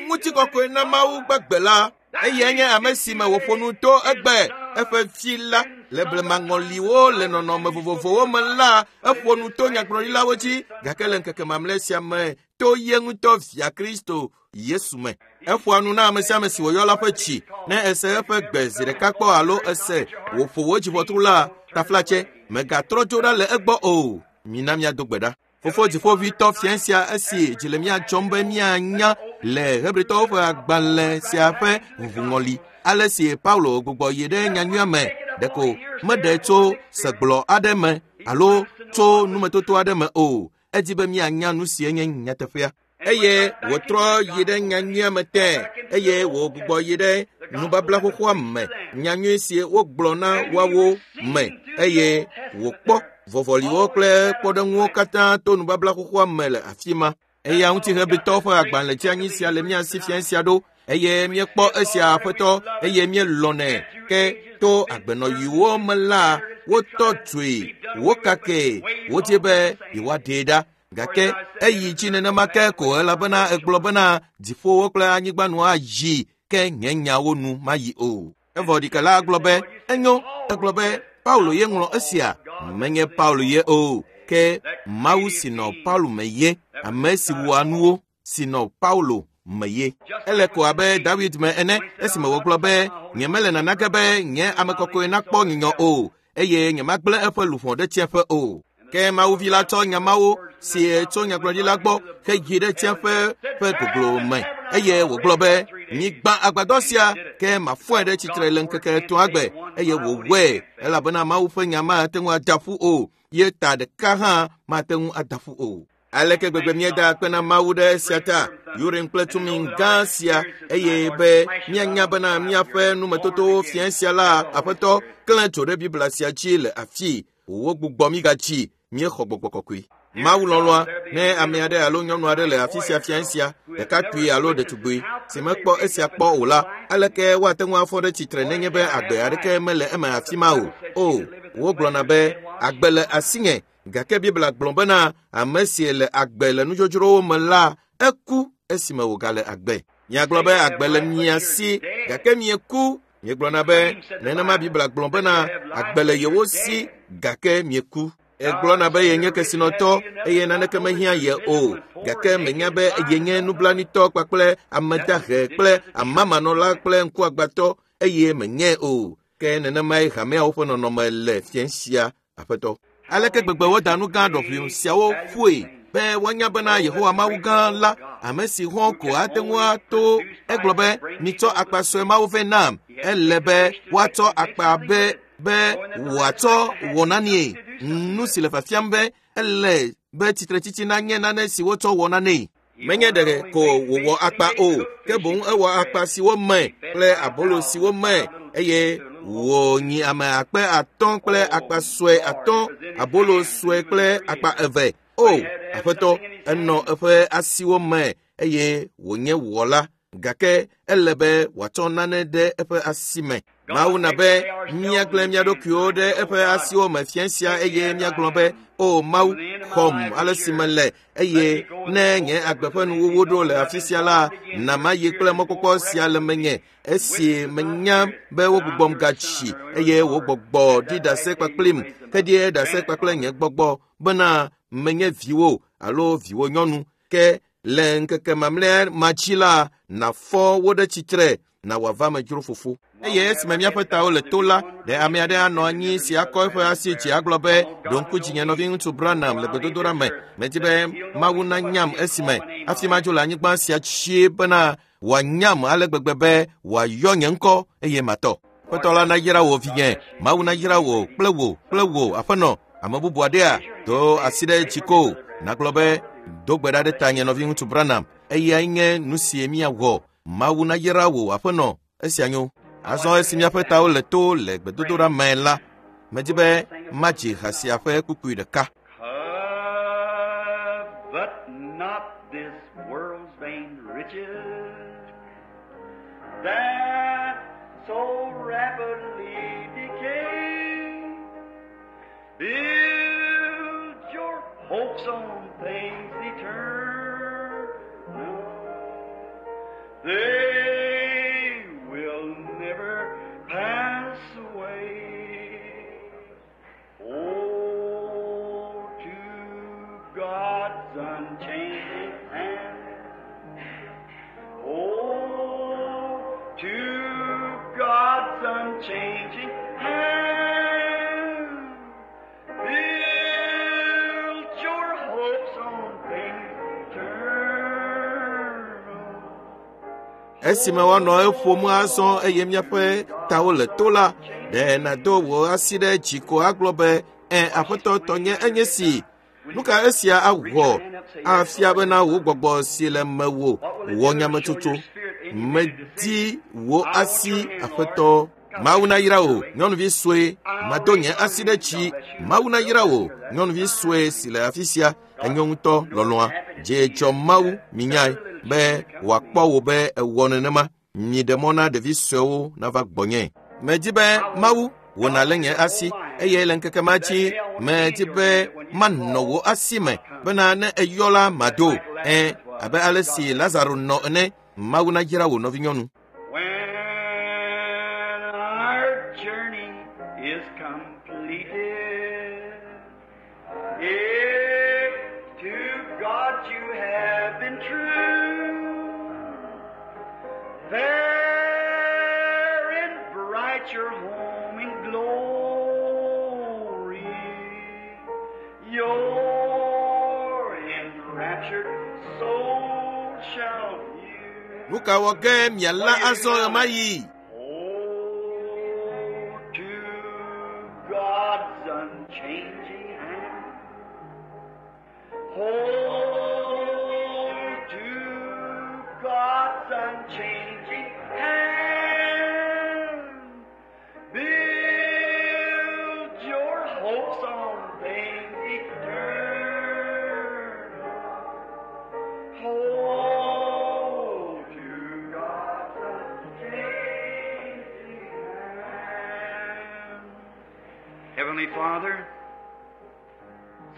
ŋutikɔkɔe na Mawu gbagbe la. Eyae nye ame si me wòƒo nu to egbe eƒe vi la le blemaŋɔliwo le nɔnɔme vovovowo me la eƒo nu to nyagblɔɖilawo dzi gake le ŋkeke mamlɛ sia me to ye ŋutɔ via Kristo Yesu me. Eƒoa nu na ame sia ame si wòyɔ la ƒe tsi ne ese eƒe gbe zi ɖeka kpɔ alo ese wòƒo wò dziʋɔtru la taflatse mègatrɔ dzo ɖa le egbɔ o. Mina míado gbe ɖa. Fofo dziƒoʋĩtɔ fia sia esi dzi le mía dzɔm be míanya le Hebritɔwo ƒe agbalẽ sia ƒe ʋuʋuŋɔli ale si Paulo gbugbɔ yi ɖe nyanyuia me ɖeko meɖe tso segblɔ aɖe me alo tso numetoto aɖe me o. Edi be míanya nu si nye nyateƒea. Eye wòtrɔ yi ɖe nyanyuia me tẽ eye wògbugbɔ yi ɖe nubabla xoxoa me nyanyui si wogblɔ na woawo me eye wòkpɔ vɔvɔliwo kple kpɔɖeŋuwo katã to nubabla xoxoa me le afi ma. Eya ŋuti Hebritɔwo ƒe agbalẽ dzeanyi sia le mía si fia sia ɖo eye míekpɔ esia aƒetɔ eye míelɔ̃nɛ ke to agbenɔyiwo me la wotɔ dzoe wokake wodzi be yewoaɖee ɖa gake eyi dzi nenema ke ko elabena egblɔ bena dziƒowo kple anyigba nu ayi ke nye nyawo nu mayi o. Evɔ ɖikela gblɔ be enyo egblɔ be Paulo ye ŋlɔ esia menye Paulo ye o ke Mawu si nɔ Paulo me ye ame si wɔa nuwo si nɔ Paulo me ye. Ele ko abe David me ene esime wògblɔ be nyemele nanake be nye ame kɔkɔe nakpɔ nyunyɔ o eye nyemagblẽ eƒe luʋɔ ɖe tsiẽƒe o. Ke Mawuvi la tsɔ nya mawo si tso nyagblɔɖila gbɔ heyi ɖe tsiẽƒe ƒe goglo me eye wògblɔ be migbã agbadɔ sia ke mafɔe ɖe tsitre le ŋkeke etɔ̃a gbe eye wòwɔe elabena Mawu ƒe nya mate ŋu ada ƒu o ye ta ɖeka hã mate ŋu ada ƒu o. Aleke gbegbe míeda akpe na Mawu ɖe esia ta Urim kple Tumim gã sia eye be míanya bena míaƒe numetotowo fia sia la aƒetɔ klẽ tso ɖe Biblia sia dzi le afii wogbugbɔ mí gatsi míexɔ gbɔgbɔ kɔkɔe. Mawu lɔlɔ̃a ne ame aɖe alo nyɔnu aɖe le afi sia fia sia ɖekakpui alo ɖetugbui si mekpɔ esia kpɔ o la aleke woate ŋu afɔ ɖe tsitre nenye be agbe aɖeke mele eme afi ma o. O wogblɔna be agbe le asinye gake Biblia gblɔ bena ame si le agbe le nudzodzrowo me la eku esime wògale agbe. Miagblɔ be agbe le mia si gake mieku. Miegblɔna be nenema Biblia gblɔ bena agbe le yewo si gake mieku. Egblɔna be yenye kesinɔtɔ eye naneke mehiã ye o gake menya be yenye nublanuitɔ kpakple ame dahe kple amamanɔla kple ŋkuagbãtɔ eye menye o. Ke nenemae hameawo ƒe nɔnɔme le fia sia aƒetɔ. Aleke gbegbe woda nu gã ɖɔʋui siawo ƒoe be woanya bena Yehowa Mawu gã la ame si hɔ̃ ko ate ŋu ato egblɔ be mitsɔ akpa sue mawo vɛ nam ele be woatsɔ akpa be be wòatsɔ wɔ nanie nu si le fiafiam be ele be tsitretsitsi nanye nane si wotsɔ wɔ nanee. Menye ɖe ko wòwɔ akpa o ke boŋ ewɔ akpa siwo me kple abolo siwo me eye wònyi ame akpe atɔ̃ kple akpa sue atɔ̃ abolo sue kple akpa eve. O aƒetɔ enɔ eƒe asiwo me eye wònye wɔla gake ele be wòatsɔ nane ɖe eƒe asi me. Mawu na be míagblẽ mía ɖokuiwo ɖe eƒe asiwo me fia sia eye míagblɔ be o Mawu xɔm ale si mele eye ne nye agbe ƒe nuwuwu ɖo le afi sia la na mayi kple mɔkpɔkpɔ sia le menye esi menya be wogbugbɔm gatsi eye wò gbɔgbɔ ɖi ɖase kpakplim heɖie ɖase kpakple nye gbɔgbɔ bena menye viwò alo viwò nyɔnu ke le ŋkeke mamlɛa ma dzi la nafɔ wo ɖe tsitre na wòava me dzro fofo. Eye esime míaƒe tawo le to la, ɖe ame aɖe anɔ anyi si akɔ eƒe asi dzi agblɔ be, ɖo ŋku dzinye nɔviŋutsu Branham le gbedodoɖa me. Medi be Mawu nanyam esime hafi madzo le anyigba sia tsie bena wòanyam ale gbegbe be wòayɔ nye ŋkɔ eye matɔ. Aƒetɔ la nayra wò vinye, Mawu nayra wò kple wò kple wò aƒenɔ. Ame bubu aɖea do asi ɖe dzi ko nagblɔ be do gbe ɖa ɖe ta nye nɔviŋutsu Branham. Eyae nye nu si míawɔ. Mawu nayra wò aƒenɔ. Esia nyo. Azɔ esi míaƒe tawo le to le gbedodoɖa me la, medi be madzi ha sia ƒe kpukpui ɖeka. Covet not this world's vain riches that so rapidly decay. Build your hopes on things eternal. They will never pass away. Oh, to God's unchanging hand. Oh, to God's unchanging hand. Build your hopes on things eternal. Esime woanɔ eƒom azɔ eye míaƒe tawo le to la, ɖe nàdo wò asi ɖe dzi ko agblɔ be, ẽ, aƒetɔ tɔnye enye si. Nu ka esia awɔ afia bena wò gbɔgbɔ si le mewò wɔ nyametsotso? Medi wò asi, aƒetɔ. Mawu nayra wò, nyɔnuvi sue. Mado nye asi ɖe dzi. Mawu nayra wò, nyɔnuvi sue si le afi sia. Enyo ŋutɔ, lɔlɔ̃a. Dze dzɔ Mawu, minyae be wòakpɔ wò be ewɔ nenema. Miɖe mɔ na ɖevi suewo nava gbɔnye. Medi be Mawu wò nalé nye asi eye le ŋkeke ma dzi medi be manɔ wò asi me bena ne eyɔ la mado. Ẽ, abe ale si Lazaro nɔ ene. Mawu nayra wò nɔvinyɔnu. When our journey is completed, if to God you have been true, fair and bright your home in glory, your enraptured soul shall view. Nu ka wɔ ge mialé azɔ ɣemaɣi? Hold to God's unchanging hand. Hold to God's unchanging hand. Build your hopes on things eternal. Hold to God's unchanging hand. Heavenly Father,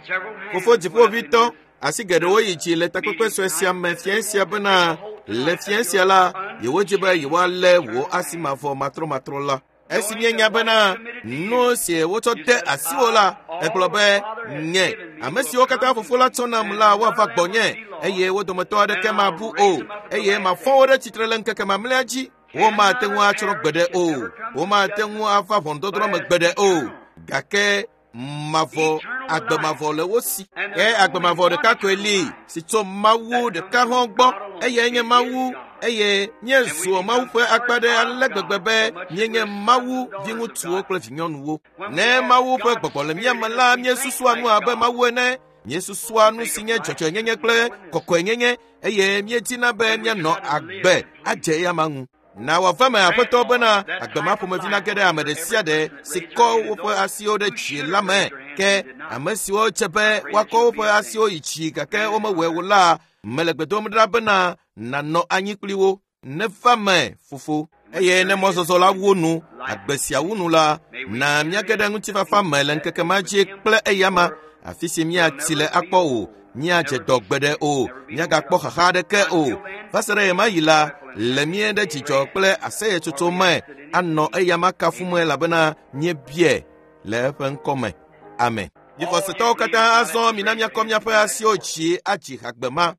several hands Fofo went up in dziƒovitɔ, this asi geɖewo yi dzi le takpekpe sue sia me fiẽ sia bena le fiẽ sia la, yewodzi be yewoalé wò asi mavɔ matrɔmatrɔ la. Esi míenya bena nu si wotsɔ de asiwò la, egblɔ be, nye, ame siwo katã fofo la tsɔ nam la woava gbɔnye eye wo dometɔ aɖeke mabu o eye mafɔ wo ɖe tsitre le ŋkeke mamlɛa dzi. Womate ŋu atsrɔ̃ gbeɖe o. Womate ŋu ava ʋɔnudɔdrɔ̃ me gbeɖe o. Gake mavɔ agbe mavɔ le wo si. Ke agbe mavɔ ɖeka koe li si tso Mawu ɖeka hã gbɔ. Eyae nye Mawu eye míezu Mawu ƒe akpa ɖe ale gbegbe be míenye Mawu viŋutsuwo kple vinyɔnuwo. Ne Mawu ƒe gbɔgbɔ le mía me la, míesusua nu abe Mawu ene. Míesusua nu si nye dzɔdzɔenyenye kple kɔkɔenyenye eye míedina be míanɔ agbe adze eyama ŋu. Na wòava me aƒetɔ bena agbe ma ƒomevi nage ɖe ame ɖe sia ɖe si kɔ woƒe asiwo ɖe dzi la me. Ke ame siwo dze be woakɔ woƒe asiwo yi dzi gake womewɔe o la, mele gbe dom ɖa bena nànɔ anyi kpli wo. Neva me, fofo. Eye ne mɔzɔzɔ la wu nu, agbe sia wu nu la, na míage ɖe ŋutifafa me le ŋkeke ma dzi kple eyama, afi si míatsi le akpɔ o, míadze dɔ gbeɖe o, míagakpɔ xaxa aɖeke o. Va se ɖe ɣemaɣi la, le mía ɖe dzidzɔ kple aseyetsotso me anɔ eyama kafum elabena míebia le eƒe ŋkɔ me. Amen. Mi xɔsetɔwo katã azɔ mina míakɔ míaƒe asiwo dzi adzi hagbe ma.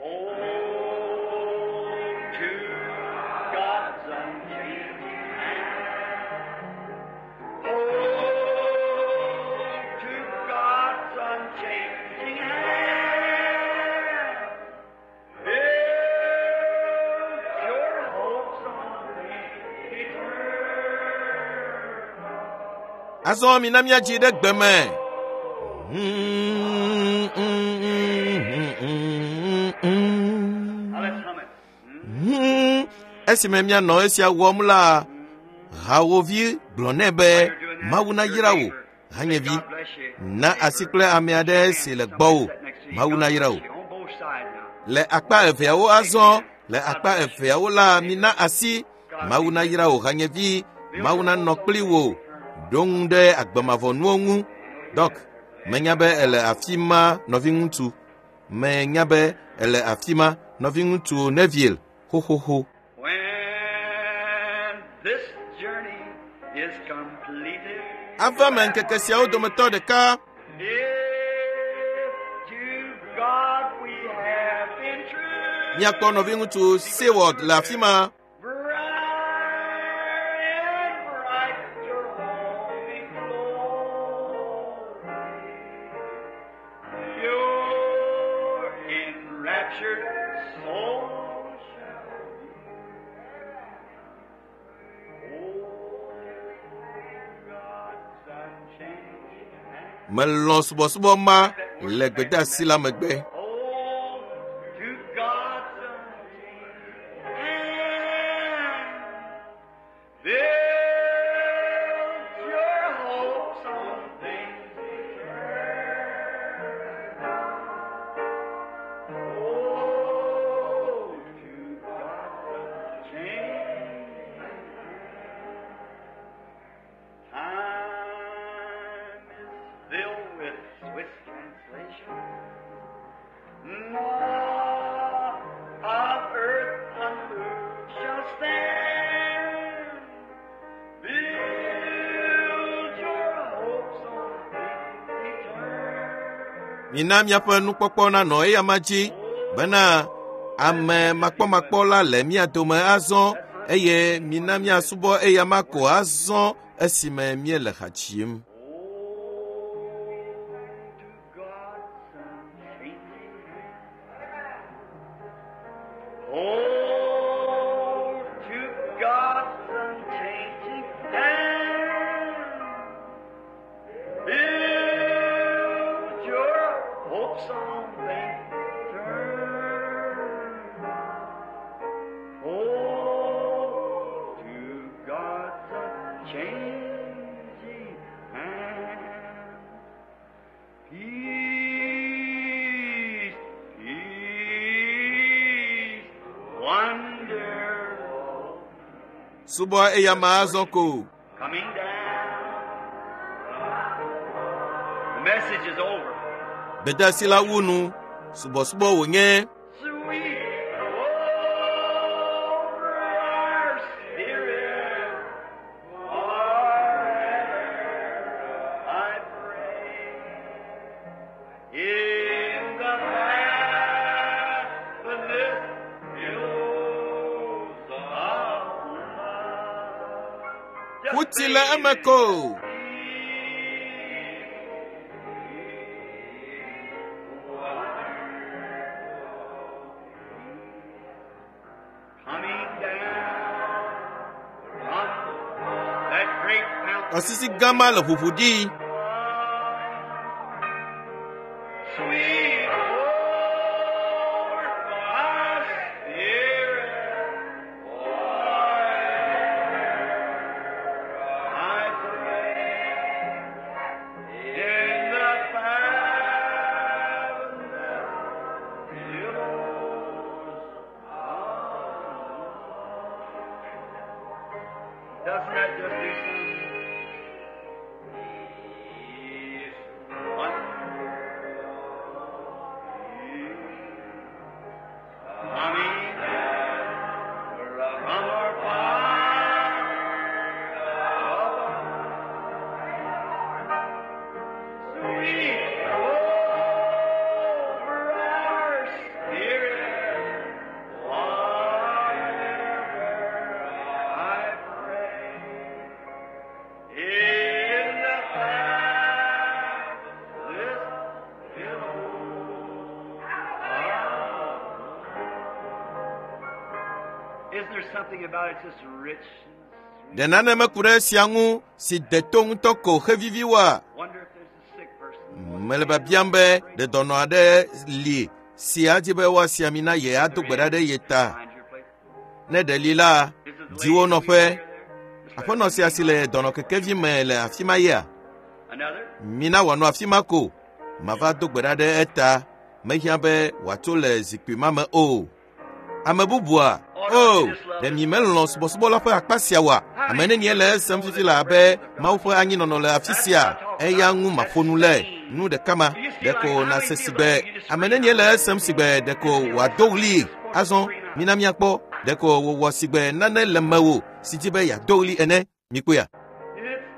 Hold to God's unchanging hand. Azɔ mina míadzi ɖe gbe me. Now let's hum it. Hmm? Esime míanɔ esia wɔm la, hawovi gblɔ nɛ be Mawu nayra wò, hanyevi. God bless you. Na asi kple ame aɖe si le gbɔwò. Mawu nayra wò. On both sides now. Le akpa eveawo azɔ, le akpa eveawo la, mina asi. Mawu nayra wò hanyevi. Mawu nanɔ kpli wò. Ɖo ŋu ɖe agbemavɔnuwo ŋu. Dɔk, menya be ele afi ma nɔviŋutsu. Menya be ele afi ma nɔviŋutsu Neville xoxoxo. When this journey is completed, Ava me ŋkeke siawo dometɔ ɖeka. if to God we have been true, Míakpɔ nɔviŋutsu Seward le afi ma. bright and bright your home in glory, your enraptured soul shall be. Oh, God's unchanging hand. Melɔ̃ subɔsubɔ ma le gbedeasi la megbe. Oh, to God's unchanging hand. Build your hopes on things eternal. Oh, to God's unchanging hand. Time is filled with Swiss translation. None of earth unmoved shall stand. Build your hopes on things eternal. Mina míaƒe nukpɔkpɔ nanɔ eyama dzi bena ame makpɔmakpɔ la le mía dome azɔ eye mina míasubɔ eyama ko azɔ esime míele ha dzim. Oh, to God's unchanging hand. Oh, to God's unchanging hand. Build your hopes on things eternal. Oh, to God's unchanging hand. Peace, peace, wonderful. Subɔ eyama azɔ ko. Coming down. The message is over. Gbedeasi la wu nu. Subɔsubɔ wònye. Sweet over our spirit forever, I pray. In the faithfulness billows of love. Just Ƒuti le bathe eme in ko. Coming down from that great mountain. Tɔsisi gã ma le ʋuʋu ɖi. Sweet over my spirit, forever I pray. In the fathomless billows of love. Doesn't that just do something? Peace, wonderful peace, coming down from our Father above. Sweet over our spirit, forever I pray. In the fathomless billows of love. Isn't there something about it just rich and Ɖe nane meku ɖe esia ŋu si de to ŋutɔ ko hevivi woa? Wonder if there's a sick person. Mele biabiam be ɖe dɔnɔ aɖe li si adi be woasi ami na ye ado gbe ɖa ɖe ye ta. Find your place. Ne ɖe li la, Is it the di wo lady nɔƒe. wheelchair there? Just let Aƒenɔ sia si le dɔnɔkekevi me le afi ma yea? Another? Mina wòanɔ afi ma ko. Mava do gbe ɖa ɖe eta. Mehiã be wòatso le zikpui ma me o. Ame bubua? O, ɖe mi melɔ̃ subɔsubɔ la ƒe akpa sia oa? Ame nenie le esem fifi la abe Mawu ƒe anyinɔnɔ le afi sia? Eya ŋu maƒo nu le. Nu ɖeka ma, ɖeko nàse sigbe. Ame nenie le esem sigbe ɖeko wòado ɣli. Azɔ, mina míakpɔ. Ɖeko wòwɔ sigbe nane le mewò si dzi be yeado ɣli ene. Mikpɔea? It's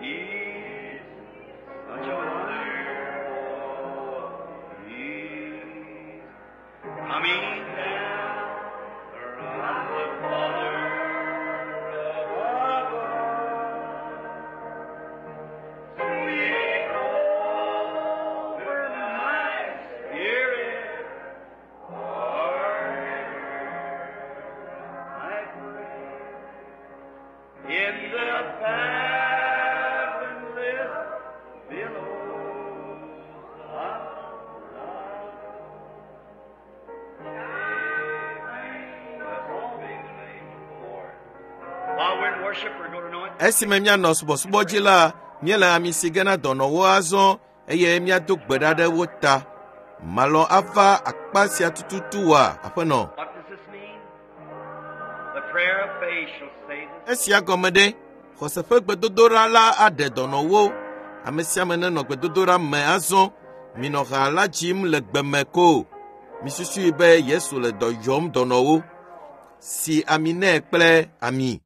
easy, such a wonderful peace coming down from the Father above. Sweet over my spirit forever. I pray. In the fathomless billows of love. While we're in worship, we're going to anoint. Esime míanɔ subɔsubɔ dzi la, míele ami si ge na dɔnɔwo azɔ eye míado gbe ɖa ɖe wo ta. Malɔ̃ ava akpa sia tututu wa, aƒenɔ. What does this mean? The prayer of faith shall save us. Esia gɔme ɖe, xɔse ƒe gbedodoɖa la aɖe dɔnɔwo. Ame sia ame nenɔ gbedodoɖa me azɔ. Minɔ ha la dzim le gbe me ko. Misusui be Yesu le dɔ yɔm dɔnɔwo. Si ami nɛ kple ami.